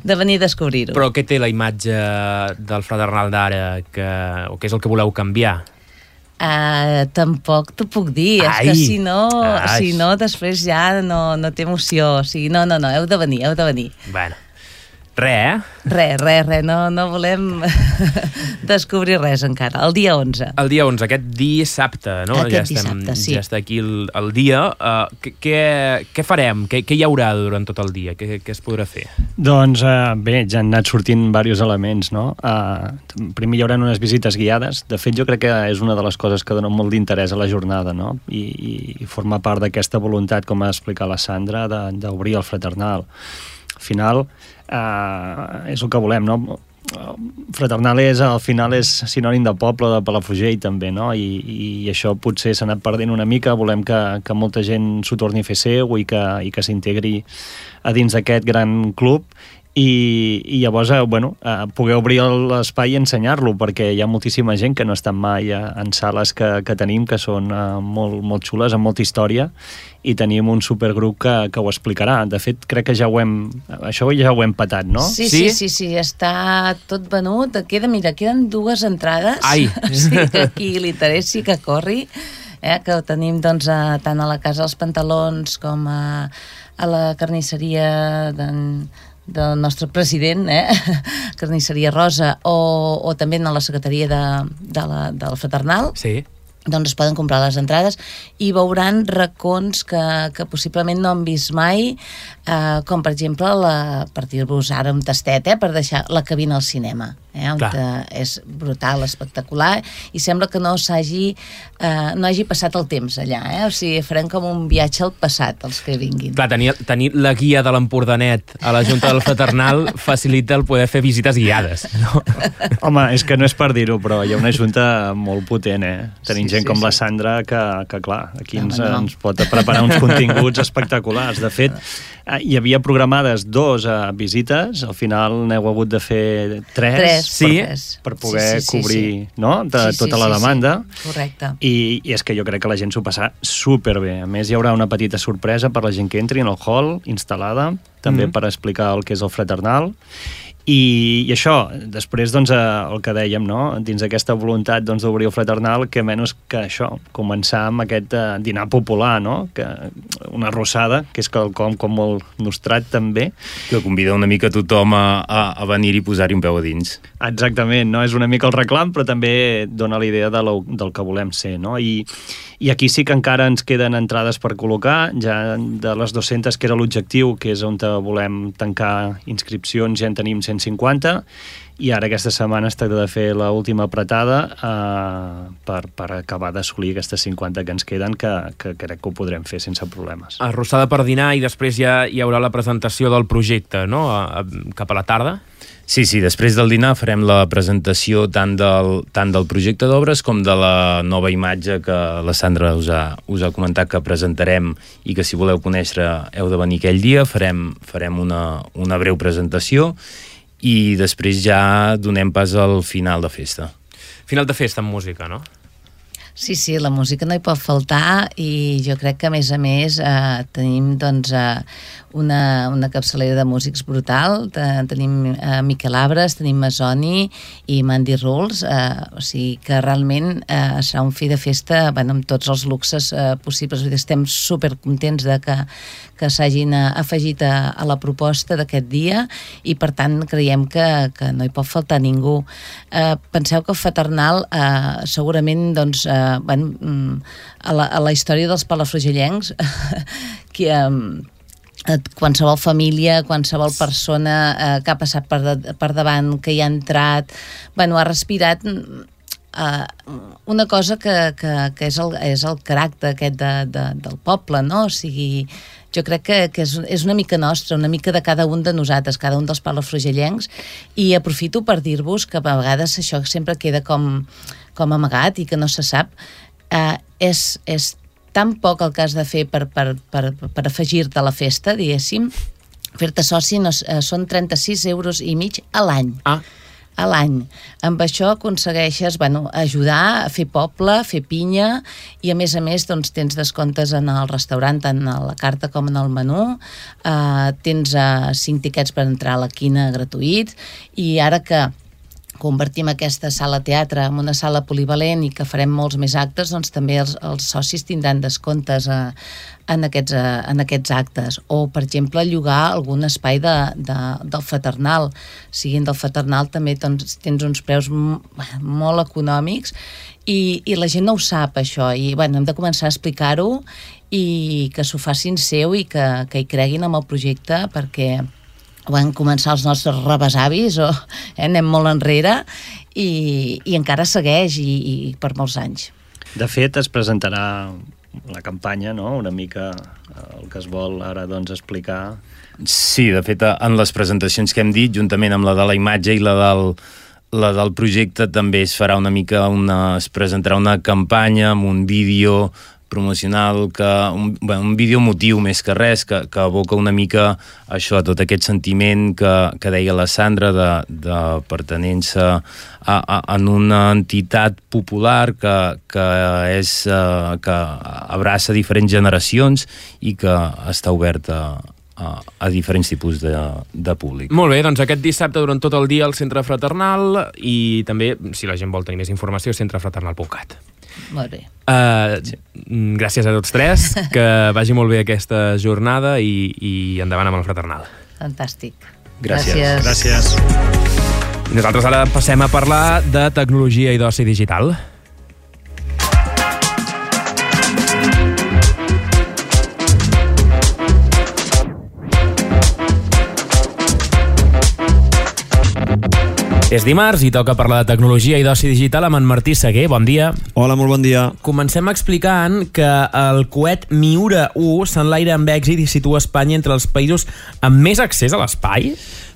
de venir a descobrir-ho. Però què té la imatge del fraternal d'ara, que, o què és el que voleu canviar? Uh, tampoc t'ho puc dir. Ai. És que si no, si no després ja no, no té emoció. O sigui, no, no, no, heu de venir, heu de venir. Bueno, res, eh? Res, res, res, no, no volem descobrir res encara. El dia onze. El dia onze, aquest dissabte, no? Aquest ja estem, dissabte, sí. Ja està aquí el, el dia. Uh, què, què farem? Què, què hi haurà durant tot el dia? Què, què es podrà fer? Doncs uh, bé, ja han anat sortint diversos elements, no? Uh, primer hi haurà unes visites guiades. De fet, jo crec que és una de les coses que dona molt d'interès a la jornada, no? I, i, i forma part d'aquesta voluntat, com ha explicat la Sandra, d'obrir el fraternal. Al final, uh, és el que volem, no? Fraternal és, al final és sinònim de poble, de Palafrugell també, no? I, i això potser s'ha anat perdent una mica. Volem que, que molta gent s'ho torni a fer seu i que, i que s'integri a dins d'aquest gran club, i, i llavors, eh, bueno, eh, poder obrir l'espai i ensenyar-lo, perquè hi ha moltíssima gent que no estan mai eh, en sales que, que tenim, que són eh, molt, molt xules, amb molta història, i tenim un supergrup que, que ho explicarà. De fet, crec que ja ho hem... Això ja ho hem patat, no? Sí, sí, sí, sí, està tot venut. Queda, mira, queden dues entrades. Ai! Sí, que qui li interessi que corri, eh, que ho tenim doncs, a, tant a la Casa dels Pantalons com a, a la carnisseria d'en del nostre president, eh? Carnisseria Rosa, o, o també a la secretaria de, de la, del Fraternal. Sí. Doncs es poden comprar les entrades i veuran racons que, que possiblement no han vist mai, eh, com per exemple, la, per dir-vos ara un tastet, eh, per deixar la cabina al cinema, eh, on és brutal, espectacular, i sembla que no s'hagi eh, no hagi passat el temps allà, eh? O sigui, farem com un viatge al passat, els que vinguin. Clar, tenir, tenir la guia de l'Empordanet a la Junta del Fraternal facilita el poder fer visites guiades, no? Home, és que no és per dir-ho, però hi ha una junta molt potent, eh? Tenim sí, gent sí, com sí. la Sandra que, que clar, aquí ens, no, no. ens pot preparar uns continguts espectaculars. De fet, hi havia programades dos uh, visites, al final n'heu hagut de fer tres, tres sí, per, per poder sí, sí, sí, cobrir sí. No? De, sí, sí, tota la demanda. Sí, sí. Correcte. I, I és que jo crec que la gent s'ho passarà superbé. A més, hi haurà una petita sorpresa per la gent que entri en el hall, instal·lada, també mm. per explicar el que és el Fraternal. I, i això, després, doncs, el que dèiem, no? Dins d'aquesta voluntat doncs, d'obrir el Fraternal, que menys que això, començar amb aquest uh, dinar popular, no? Que, una arrossada, que és quelcom com molt nostrat també. Que convida una mica tothom a, a, a venir i posar-hi un peu a dins. Exactament, no? És una mica el reclam, però també dona la idea de lo, del que volem ser, no? I, I aquí sí que encara ens queden entrades per col·locar, ja de les dues-centes, que era l'objectiu, que és on volem tancar inscripcions, ja en tenim cent cinquanta, i ara aquesta setmana es tracta de fer l'última apretada eh, per, per acabar d'assolir aquestes cinquanta que ens queden, que, que crec que ho podrem fer sense problemes. Arrossada per dinar i després ja hi haurà la presentació del projecte, no? A, a, cap a la tarda? Sí, sí, després del dinar farem la presentació tant del, tant del projecte d'obres com de la nova imatge que la Sandra us ha, us ha comentat que presentarem i que si voleu conèixer heu de venir aquell dia. Farem, farem una, una breu presentació i després ja donem pas al final de festa. Final de festa amb música, no? Sí, sí, la música no hi pot faltar i jo crec que a més a més eh, tenim doncs eh, una, una capçalera de músics brutal. Tenim eh, Miquel Abres, tenim Masoni i Mandy Rules, eh, o sigui que realment eh, serà un fi de festa, bueno, amb tots els luxes eh, possibles. Estem supercontents de que, que s'hagin afegit a, a la proposta d'aquest dia i per tant creiem que, que no hi pot faltar ningú. Eh, penseu que el Fraternal eh, segurament doncs eh, bueno, a, la, a la història dels palafrugellencs que eh, qualsevol família, qualsevol persona eh, que ha passat per, de, per davant, que hi ha entrat, bueno, ha respirat eh, una cosa que, que, que és, el, és el caràcter aquest de, de, del poble, no? O sigui, jo crec que, que és, és una mica nostra, una mica de cada un de nosaltres, cada un dels palafrugellencs, i aprofito per dir-vos que a vegades això sempre queda com com amagat i que no se sap, eh, és, és tan poc el que has de fer per, per, per, per afegir-te a la festa, diguéssim. Fer-te soci no, eh, són trenta-sis euros i mig a l'any. Ah. A l'any. Amb això aconsegueixes, bueno, ajudar a fer poble, a fer pinya, i a més a més doncs, tens descomptes en el restaurant, tant a la carta com en el menú, eh, tens eh, cinc tiquets per entrar a la quina gratuïts, i ara que convertim aquesta sala teatre en una sala polivalent i que farem molts més actes, doncs també els, els socis tindran descomptes a, en, aquests, a, en aquests actes. O, per exemple, llogar algun espai de, de, del Fraternal. Siguin del Fraternal també doncs, tens uns preus m- molt econòmics i, i la gent no ho sap, això. I bueno, hem de començar a explicar-ho i que s'ho facin seu i que, que hi creguin en el projecte, perquè van començar els nostres rebesavis, o eh, anem molt enrere, i, i encara segueix, i, i per molts anys. De fet, es presentarà la campanya, no?, una mica el que es vol ara doncs, explicar. Sí, de fet, en les presentacions que hem dit, juntament amb la de la imatge i la del, la del projecte, també es farà una mica una, es presentarà una campanya amb un vídeo promocional, que un, bueno, un vídeo emotiu més que res, que, que evoca una mica això, tot aquest sentiment que, que deia la Sandra de, de pertenença a, a, en una entitat popular que, que, és, uh, que abraça diferents generacions i que està oberta a, a diferents tipus de, de públic. Molt bé, doncs aquest dissabte durant tot el dia al Centre Fraternal i també, si la gent vol tenir més informació, centre fraternal punt cat. Molt bé. Uh, sí. Gràcies a tots tres, que vagi molt bé aquesta jornada i, i endavant amb el Fraternal. Fantàstic. Gràcies. Gràcies. I nosaltres ara passem a parlar de tecnologia i d'oci digital. És dimarts i toca parlar de tecnologia i d'oci digital amb en Martí Seguer. Bon dia. Hola, molt bon dia. Comencem explicant que el coet Miura u s'enlaira amb èxit i situa Espanya entre els països amb més accés a l'espai.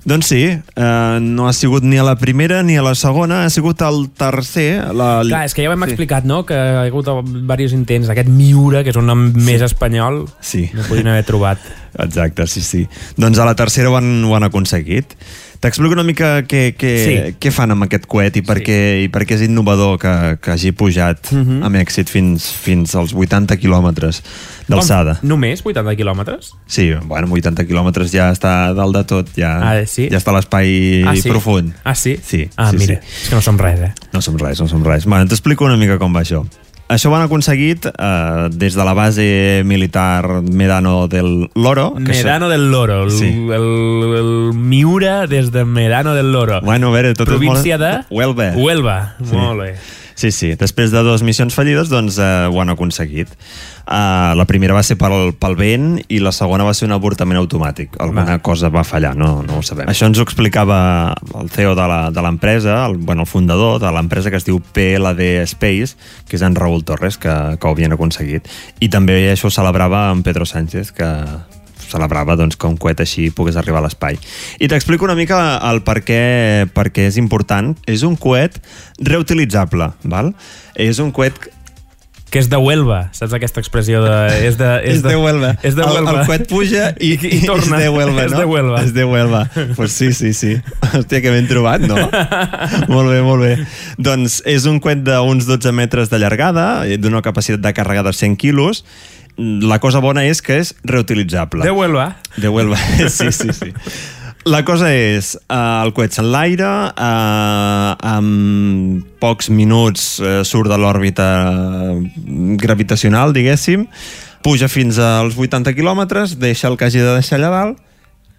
Doncs sí, eh, no ha sigut ni a la primera ni a la segona, ha sigut el tercer. La... Clar, és que ja ho hem sí. explicat, no?, que hi ha hagut diversos intents. Aquest Miura, que és un nom sí. més espanyol, sí. no podien haver trobat. Exacte, sí, sí. Doncs a la tercera ho han, ho han aconseguit. T'explico una mica què, què, sí. què fan amb aquest coet i per, sí. què, i per què és innovador que, que hagi pujat uh -huh. amb èxit fins, fins als vuitanta quilòmetres d'alçada. Només vuitanta quilòmetres? Sí, bueno, vuitanta quilòmetres ja està dalt de tot, ja, ah, sí? ja està a l'espai ah, sí? profund. Ah, sí? Sí. Ah, sí, mira, sí. és que no som res, eh? No som res, no som res. Bueno, t'explico una mica com va això. Això ho han aconseguit eh, des de la base militar Medano del Loro. Que Medano això... del Loro, el, sí. el, el, el Miura des de Medano del Loro. Bueno, a veure, tot província és molt... de... Huelva. Huelva, sí. molt bé. Sí, sí, després de dues missions fallides, doncs eh, ho han aconseguit. Uh, la primera va ser pel, pel vent i la segona va ser un avortament automàtic. Alguna va. cosa va fallar, no, no ho sabem. Això ens ho explicava el C E O de l'empresa, el, bueno, el fundador de l'empresa, que es diu P L D Space, que és en Raúl Torres, que, que ho havien aconseguit. I també això ho celebrava en Pedro Sánchez, que celebrava doncs, que un coet així pogués arribar a l'espai. I t'explico una mica el per què, per què és important. És un coet reutilitzable, val? És un coet que és de Huelva, saps aquesta expressió de... És de, és és de, de Huelva. És de Huelva. El, el coet puja i, i, i torna. És de Huelva, no? És de Huelva. És de Huelva. Pues sí, sí, sí. Hòstia, que ben trobat, no? Molt bé, molt bé. Doncs és un coet d'uns dotze metres de llargada, d'una capacitat de càrrega de cent quilos. La cosa bona és que és reutilitzable. De Huelva. De Huelva, sí, sí, sí. La cosa és, uh, el coet s'enlaira, uh, en pocs minuts uh, surt de l'òrbita gravitacional, diguéssim, puja fins als vuitanta quilòmetres, deixa el que hagi de deixar allà dalt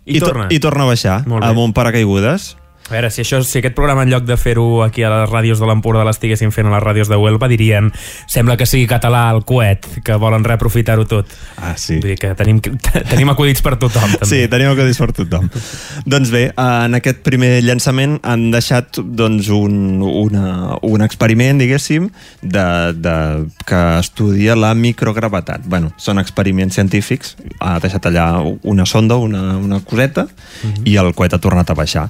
i, i, torna. To i torna a baixar amb un paracaigudes. A veure, si, això, si aquest programa, en lloc de fer-ho aquí a les ràdios de l'Empordà, l'estiguessin fent a les ràdios de Huelva, dirien, sembla que sigui català el coet, que volen reaprofitar-ho tot. Ah, sí. Vull dir que tenim, tenim acudits per tothom, també. Sí, tenim acudits per tothom. Doncs bé, en aquest primer llançament han deixat doncs, un, una, un experiment, diguéssim, de, de, que estudia la microgravetat. Bueno, són experiments científics, ha deixat allà una sonda, una, una coseta, uh-huh. i el coet ha tornat a baixar.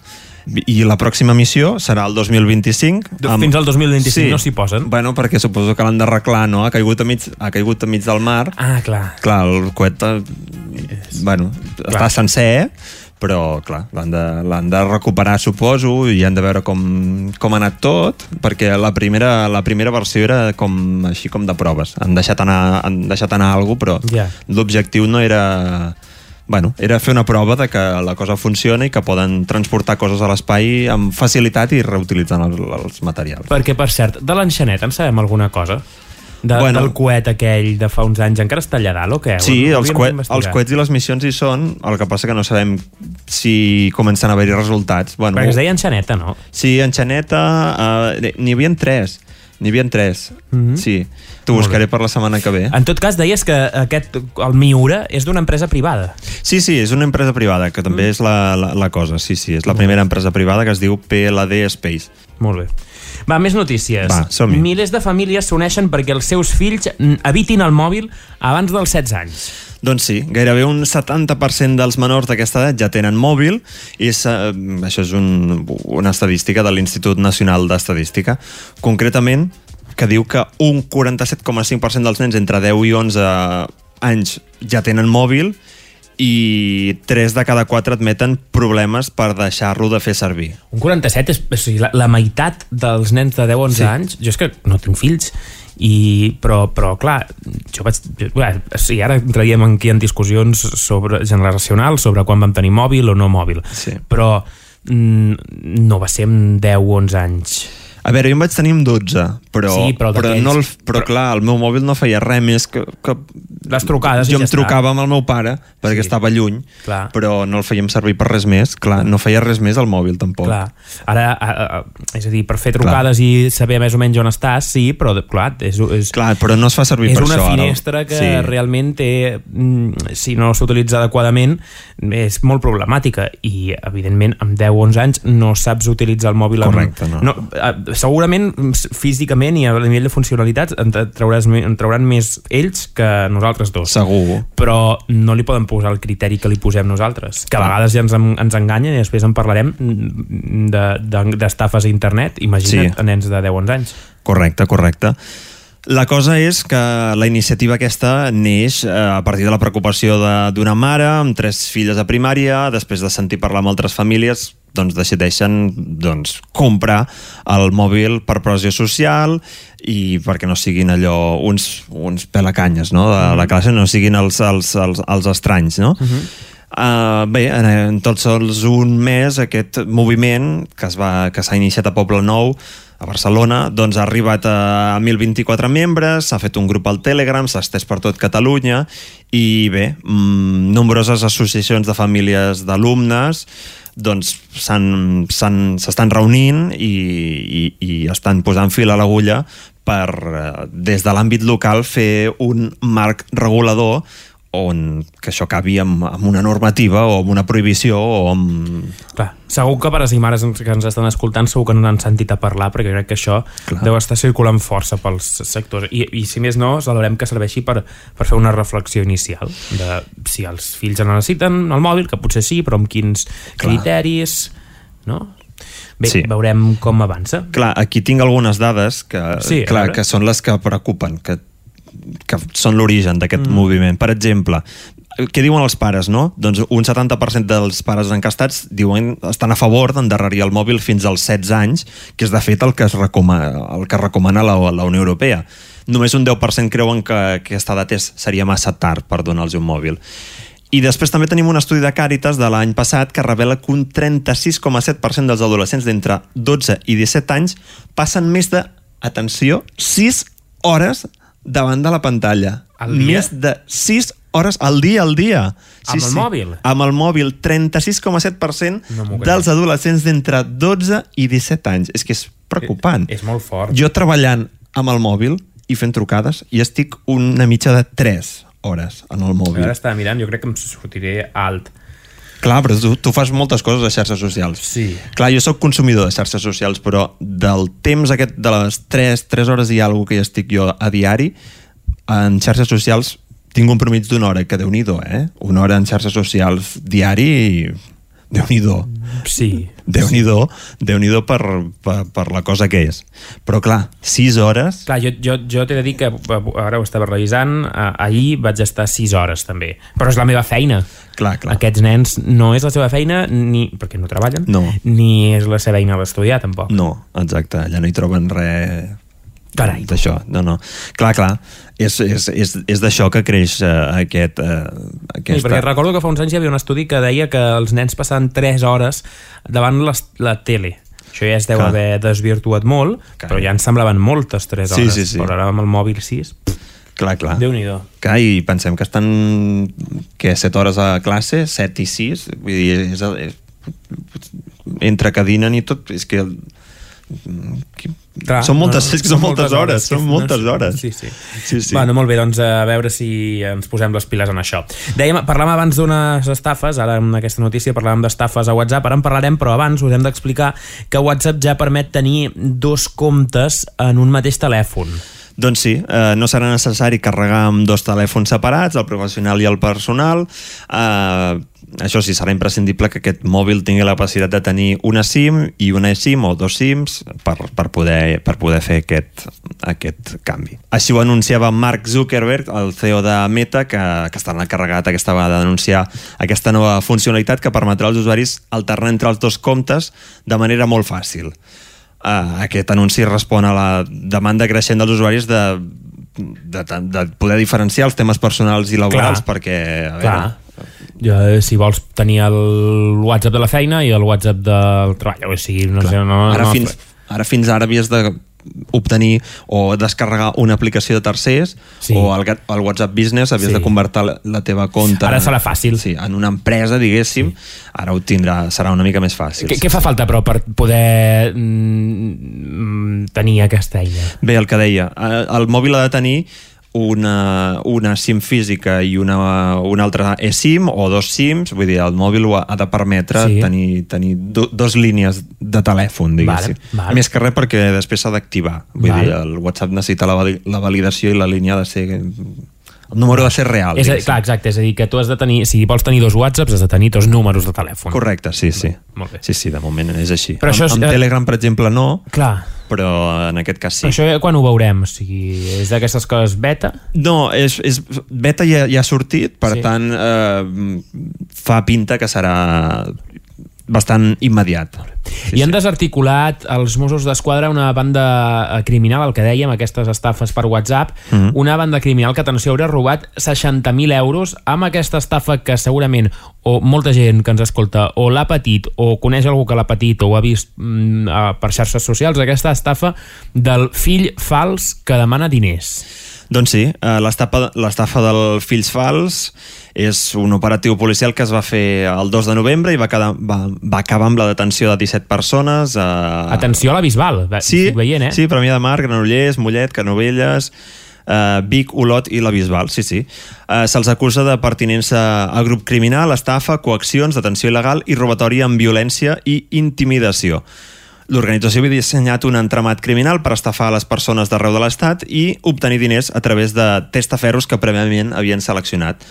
I la pròxima missió serà el dos mil vint-i-cinc. Amb... Fins al dos mil vint-i-cinc sí. no s'hi posen? Bueno, perquè suposo que l'han d'arreglar, no? Ha caigut a mig, ha caigut a mig del mar. Ah, clar. Clar, el coet bueno, clar. està sencer, però clar, l'han de, l'han de recuperar, suposo, i han de veure com, com ha anat tot, perquè la primera, la primera versió era com, així com de proves. Han deixat anar, han deixat anar alguna cosa, però yeah. l'objectiu no era... Bueno, era fer una prova de que la cosa funciona i que poden transportar coses a l'espai amb facilitat i reutilitzant els, els materials. Perquè, per cert, de l'enxanet en sabem alguna cosa? De, bueno, del coet aquell de fa uns anys encara està allà dalt o què? Sí, els, coet, els coets i les missions hi són, el que passa que no sabem si comencen a haver-hi resultats. Bueno, perquè es deia enxaneta, no? Sí, enxaneta, uh, n'hi havia tres. N'hi havia tres, mm-hmm. sí. T'ho buscaré per la setmana que ve. En tot cas, deies que aquest, el Miura és d'una empresa privada. Sí, sí, és una empresa privada, que també mm. és la, la, la cosa. Sí, sí, és la primera empresa privada, que es diu P L D Space. Molt bé. Va, més notícies. Va, som-hi. Milers de famílies s'uneixen perquè els seus fills evitin el mòbil abans dels setze anys. Doncs sí, gairebé un setanta per cent dels menors d'aquesta edat ja tenen mòbil i és, eh, això és un, una estadística de l'Institut Nacional d'Estadística. Concretament, que diu que un quaranta-set coma cinc per cent dels nens entre deu i onze anys ja tenen mòbil i tres de cada quatre admeten problemes per deixar-lo de fer servir. Un quaranta-set és, és la, la meitat dels nens de deu a onze sí. anys. Jo és que no tinc fills, i, però, però clar, jo vaig, bé, sí, ara entraríem aquí en discussions sobre, generacionals sobre quan vam tenir mòbil o no mòbil, sí. però mm, no va ser amb deu o onze anys. A veure, jo em vaig tenir amb dotze, però, sí, però, però, no el, però, però clar, el meu mòbil no feia res més que... que les trucades jo i ja em trucava amb el meu pare perquè sí. estava lluny, clar. Però no el fèiem servir per res més, clar, no feia res més al mòbil tampoc. Clar. Ara, a, a, és a dir, per fer trucades clar. I saber més o menys on estàs, sí, però clar, és, és, clar, però no es fa servir per això. És una finestra que sí. realment té, si no s'utilitza adequadament, és molt problemàtica i, evidentment, amb deu o onze anys no saps utilitzar el mòbil. Correcte, amb, no. no. Segurament, físicament i a nivell de funcionalitats en, trauràs, en trauran més ells que nosaltres dos. Segur. Però no li poden posar el criteri que li posem nosaltres, que a vegades ja ens, ens enganyen i després en parlarem d'estafes de, de, a internet. Imagina't sí. a nens de deu o onze anys. Correcte, correcte. La cosa és que la iniciativa aquesta neix a partir de la preocupació d'una mare amb tres filles a primària, després de sentir parlar amb altres famílies, doncs decideixen doncs, comprar el mòbil per pressió social i perquè no siguin allò uns, uns pelacanyes, no? De la classe, no siguin els, els, els, els estranys, no? Uh-huh. Uh, bé, en tots els un mes aquest moviment que es va, que s'ha iniciat a Poble Nou a Barcelona, doncs ha arribat a mil vint-i-quatre membres, s'ha fet un grup al Telegram, s'ha estès per tot Catalunya i bé, mmm, nombroses associacions de famílies d'alumnes doncs s'estan reunint i, i, i estan posant fil a l'agulla per, des de l'àmbit local, fer un marc regulador on que això acabi amb, amb una normativa o amb una prohibició o amb... Clar, segur que pares i mares que ens estan escoltant segur que no n'han sentit a parlar perquè crec que això Clar. Deu estar circulant força pels sectors i, i si més no, celebrem que serveixi per, per fer una reflexió inicial de si els fills en necessiten el mòbil, que potser sí, però amb quins Clar. Criteris, no? Bé, sí. Veurem com avança. Clar, aquí tinc algunes dades que, sí, clar, que són les que preocupen, que que són l'origen d'aquest mm. moviment. Per exemple, què diuen els pares, no? Doncs un setanta per cent dels pares encastats diuen, estan a favor d'endarrerir el mòbil fins als setze anys, que és de fet el que es recomana, el que recomana la, la Unió Europea. Només un deu per cent creuen que aquesta edat és, seria massa tard per donar-los un mòbil. I després també tenim un estudi de Càritas de l'any passat que revela que un trenta-sis coma set per cent dels adolescents d'entre dotze i disset anys passen més de, atenció, sis hores davant de la pantalla. Més de sis hores al dia al dia. Sí, amb el sí. mòbil? Amb el mòbil, trenta-sis coma set per cent no dels adolescents d'entre dotze i disset anys. És que és preocupant. És, és molt fort. Jo treballant amb el mòbil i fent trucades i estic una mitja de tres hores en el mòbil. Ara estava mirant, jo crec que em sortiré alt. Clar, però tu, tu fas moltes coses a xarxes socials. Sí. Clar, jo sóc consumidor de xarxes socials, però del temps aquest de les tres hores i alguna que hi estic jo a diari, en xarxes socials tinc un promig d'una hora, que Déu-n'hi-do, eh? Una hora en xarxes socials diari i... Déu-n'hi-do. Sí. Déu-n'hi-do, Déu-n'hi-do per, per, per la cosa que és. Però clar, sis hores... Clar, jo, jo, jo t'he de dir que ara ho estava revisant, ahir vaig estar sis hores també, però és la meva feina. Clar, clar. Aquests nens no és la seva feina, ni perquè no treballen, no. Ni és la seva eina l'estudiar, tampoc. No, exacte, allà no hi troben res... Carai. D'això, no, no. Clar, clar, és, és, és, és d'això que creix uh, aquest... Uh, aquesta... Sí, perquè recordo que fa uns anys hi havia un estudi que deia que els nens passaven tres hores davant les, la tele. Això ja es deu clar. Haver desvirtuat molt, clar. Però ja ens semblaven moltes tres hores. Sí, sí, sí. Però ara amb el mòbil sis... Clar, clar. Déu-n'hi-do. Clar, i pensem que estan que set hores a classe, set i sis, vull dir, és, és, entre que dinen i tot, és que... Clar, són moltes, no, no, és que són moltes, moltes hores, hores són moltes hores. Sí, sí. sí, sí. Bueno, molt bé, doncs a veure si ens posem les piles en això. Dèiem, parlàvem abans d'unes estafes, ara en aquesta notícia parlàvem d'estafes a WhatsApp, ara en parlarem, però abans us hem d'explicar que WhatsApp ja permet tenir dos comptes en un mateix telèfon. Doncs sí, eh, no serà necessari carregar amb dos telèfons separats, el professional i el personal. Eh, això sí, serà imprescindible que aquest mòbil tingui la capacitat de tenir una SIM i una eSIM o dos SIMs per, per, poder, per poder fer aquest, aquest canvi. Així ho anunciava Mark Zuckerberg, el C E O de Meta, que, que està encarregat aquesta vegada d'anunciar aquesta nova funcionalitat que permetrà als usuaris alternar entre els dos comptes de manera molt fàcil. Uh, aquest anunci respon a la demanda creixent dels usuaris de, de, de poder diferenciar els temes personals i laborals. Clar. Perquè a veure, ja, si vols tenir el WhatsApp de la feina i el WhatsApp del treball, o sigui, no sé, no, ara, no, fins, ara fins ara havies de obtenir o descarregar una aplicació de tercers, sí. o el, el WhatsApp Business havies sí. de convertir la, la teva compte ara serà fàcil sí, en una empresa, diguéssim, sí. ara ho tindrà, serà una mica més fàcil. Què, què fa falta, però, per poder mm, tenir aquesta eina? Bé, el que deia, el mòbil ha de tenir una, una SIM física i una, una altra eSIM o dos SIMs, vull dir, el mòbil ha de permetre sí. tenir, tenir do, dos línies de telèfon, diguéssim. Vale, vale. Més que res perquè després s'ha d'activar. Vull vale. dir, el WhatsApp necessita la, la validació i la línia ha de ser... El número ha de ser real. És a, clar, exacte, és a dir, que tu has de tenir, si vols tenir dos WhatsApps, has de tenir dos números de telèfon. Correcte, sí, sí. Molt bé. Sí, sí, de moment és així. Però això és, amb, amb Telegram, per exemple, no, clar. però en aquest cas sí. Però això quan ho veurem? O sigui, és d'aquestes coses beta? No, és, és beta ja, ja ha sortit, per sí. tant, eh, fa pinta que serà bastant immediat. Sí, I han sí. desarticulat els Mossos d'Esquadra una banda criminal, el que dèiem, aquestes estafes per WhatsApp, mm-hmm. una banda criminal que, atenció, haurà robat seixanta mil euros amb aquesta estafa que segurament o molta gent que ens escolta o l'ha patit o coneix algú que l'ha patit o ho ha vist mm, per xarxes socials, aquesta estafa del fill fals que demana diners. Doncs sí, l'estafa del fills fals és un operatiu policial que es va fer el dos de novembre i va, quedar, va, va acabar amb la detenció de disset persones. Eh... Atenció a la Bisbal, sí, estic veient, eh? Sí, Premià de Mar, Granollers, Mollet, Canovelles, eh, Vic, Olot i la Bisbal, sí, sí. Eh, Se'ls acusa de pertinença a grup criminal, estafa, coaccions, detenció il·legal i robatori amb violència i intimidació. L'organització havia dissenyat un entramat criminal per estafar a les persones d'arreu de l'Estat i obtenir diners a través de testaferros que prèviament havien seleccionat.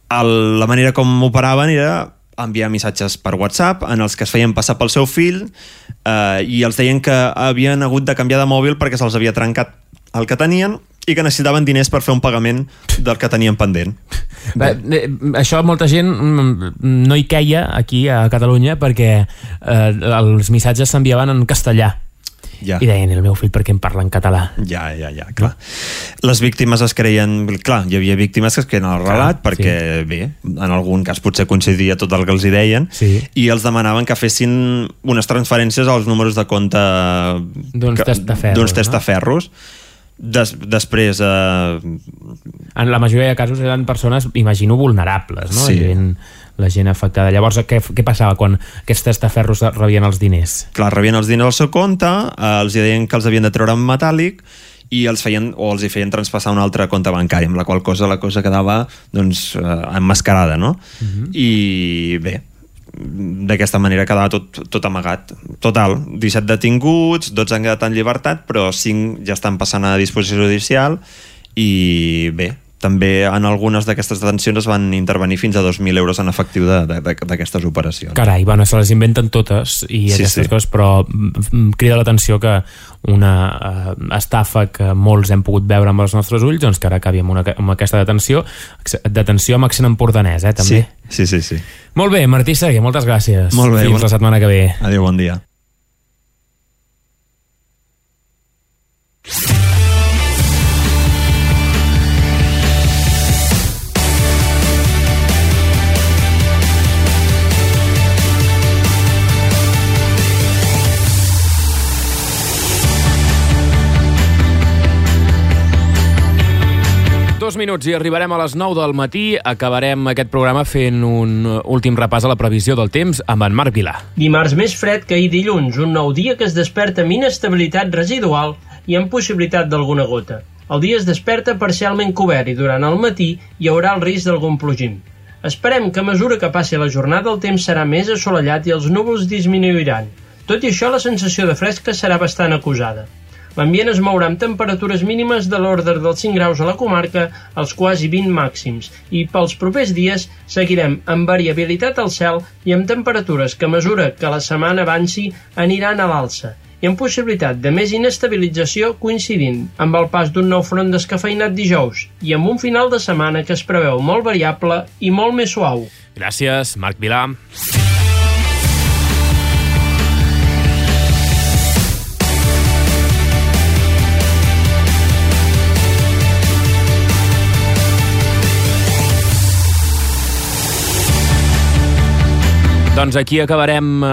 El, la manera com operaven era enviar missatges per WhatsApp en els que es feien passar pel seu fill eh, i els deien que havien hagut de canviar de mòbil perquè se'ls havia trencat el que tenien i que necessitaven diners per fer un pagament del que tenien pendent. Bé, això molta gent no hi queia aquí a Catalunya perquè eh, els missatges s'enviaven en castellà. Ja. I deien, el meu fill, per què em parla en català? Ja, ja, ja, clar. Les víctimes es creien... Clar, hi havia víctimes que es creien el relat clar, perquè, sí. bé, en algun cas potser coincidia tot el que els hi deien sí. i els demanaven que fessin unes transferències als números de compte d'uns testaferros. testaferros. No? Des, després... Eh... En la majoria de casos eren persones, imagino, vulnerables, no? Sí. La gent, la gent afectada. Llavors, què, què passava quan aquests testaferros rebien els diners? Clar, rebien els diners al seu compte, eh, els deien que els havien de treure en metàl·lic i els feien, o els hi feien traspassar un altre compte bancari, amb la qual cosa la cosa quedava doncs, eh, emmascarada, no? Uh-huh. I bé, d'aquesta manera quedava tot, tot amagat. Total, disset detinguts, dotze han quedat en llibertat, però cinc ja estan passant a disposició judicial i bé, també en algunes d'aquestes detencions es van intervenir fins a dos mil euros en efectiu d'aquestes operacions. Carai, bueno, se les inventen totes i sí, aquestes sí. coses, però crida l'atenció que una uh, estafa que molts hem pogut veure amb els nostres ulls, doncs que ara acabi amb, una, amb aquesta detenció, detenció amb accent empordanès, eh, també. Sí, sí, sí. sí. Molt bé, Martí Seguer, moltes gràcies. Molt bé. Fins bon... la setmana que ve. Adéu, bon dia. Dos minuts i arribarem a les nou del matí. Acabarem aquest programa fent un últim repàs a la previsió del temps amb en Marc Vilà. Dimarts més fred que ahir dilluns, un nou dia que es desperta amb inestabilitat residual i amb possibilitat d'alguna gota. El dia es desperta parcialment cobert i durant el matí hi haurà el risc d'algun plogim. Esperem que a mesura que passi la jornada el temps serà més assolellat i els núvols disminuiran. Tot i això, la sensació de fresca serà bastant acusada. L'ambient es mourà amb temperatures mínimes de l'ordre dels cinc graus a la comarca, als quasi vint màxims, i pels propers dies seguirem amb variabilitat al cel i amb temperatures que a mesura que la setmana avanci aniran a l'alça, i amb possibilitat de més inestabilització coincidint amb el pas d'un nou front descafeïnat dijous i amb un final de setmana que es preveu molt variable i molt més suau. Gràcies, Marc Vilà. Doncs aquí acabarem eh,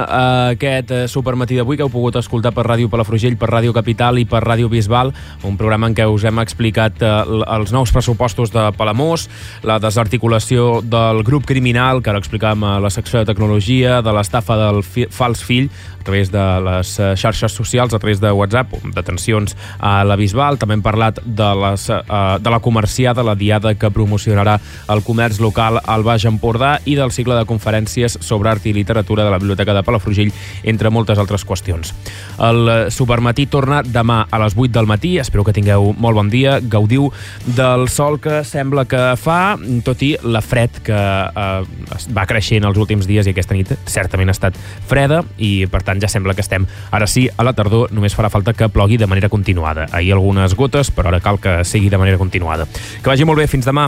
aquest supermatí d'avui que heu pogut escoltar per Ràdio Palafrugell, per Ràdio Capital i per Ràdio Bisbal, un programa en què us hem explicat eh, els nous pressupostos de Palamós, la desarticulació del grup criminal, que ara explicàvem a la secció de tecnologia, de l'estafa del fi, fals fill, a través de les xarxes socials, a través de WhatsApp, detencions a la Bisbal. També hem parlat de, les, eh, de la comerciada, la diada que promocionarà el comerç local al Baix Empordà, i del cicle de conferències sobre art i literatura de la Biblioteca de Palafrugell, entre moltes altres qüestions. El Supermatí torna demà a les vuit del matí. Espero que tingueu molt bon dia. Gaudiu del sol que sembla que fa, tot i la fred que eh, va creixent els últims dies, i aquesta nit certament ha estat freda, i per tant ja sembla que estem ara sí a la tardor. Només farà falta que plogui de manera continuada. Ahir algunes gotes, però ara cal que sigui de manera continuada. Que vagi molt bé. Fins demà.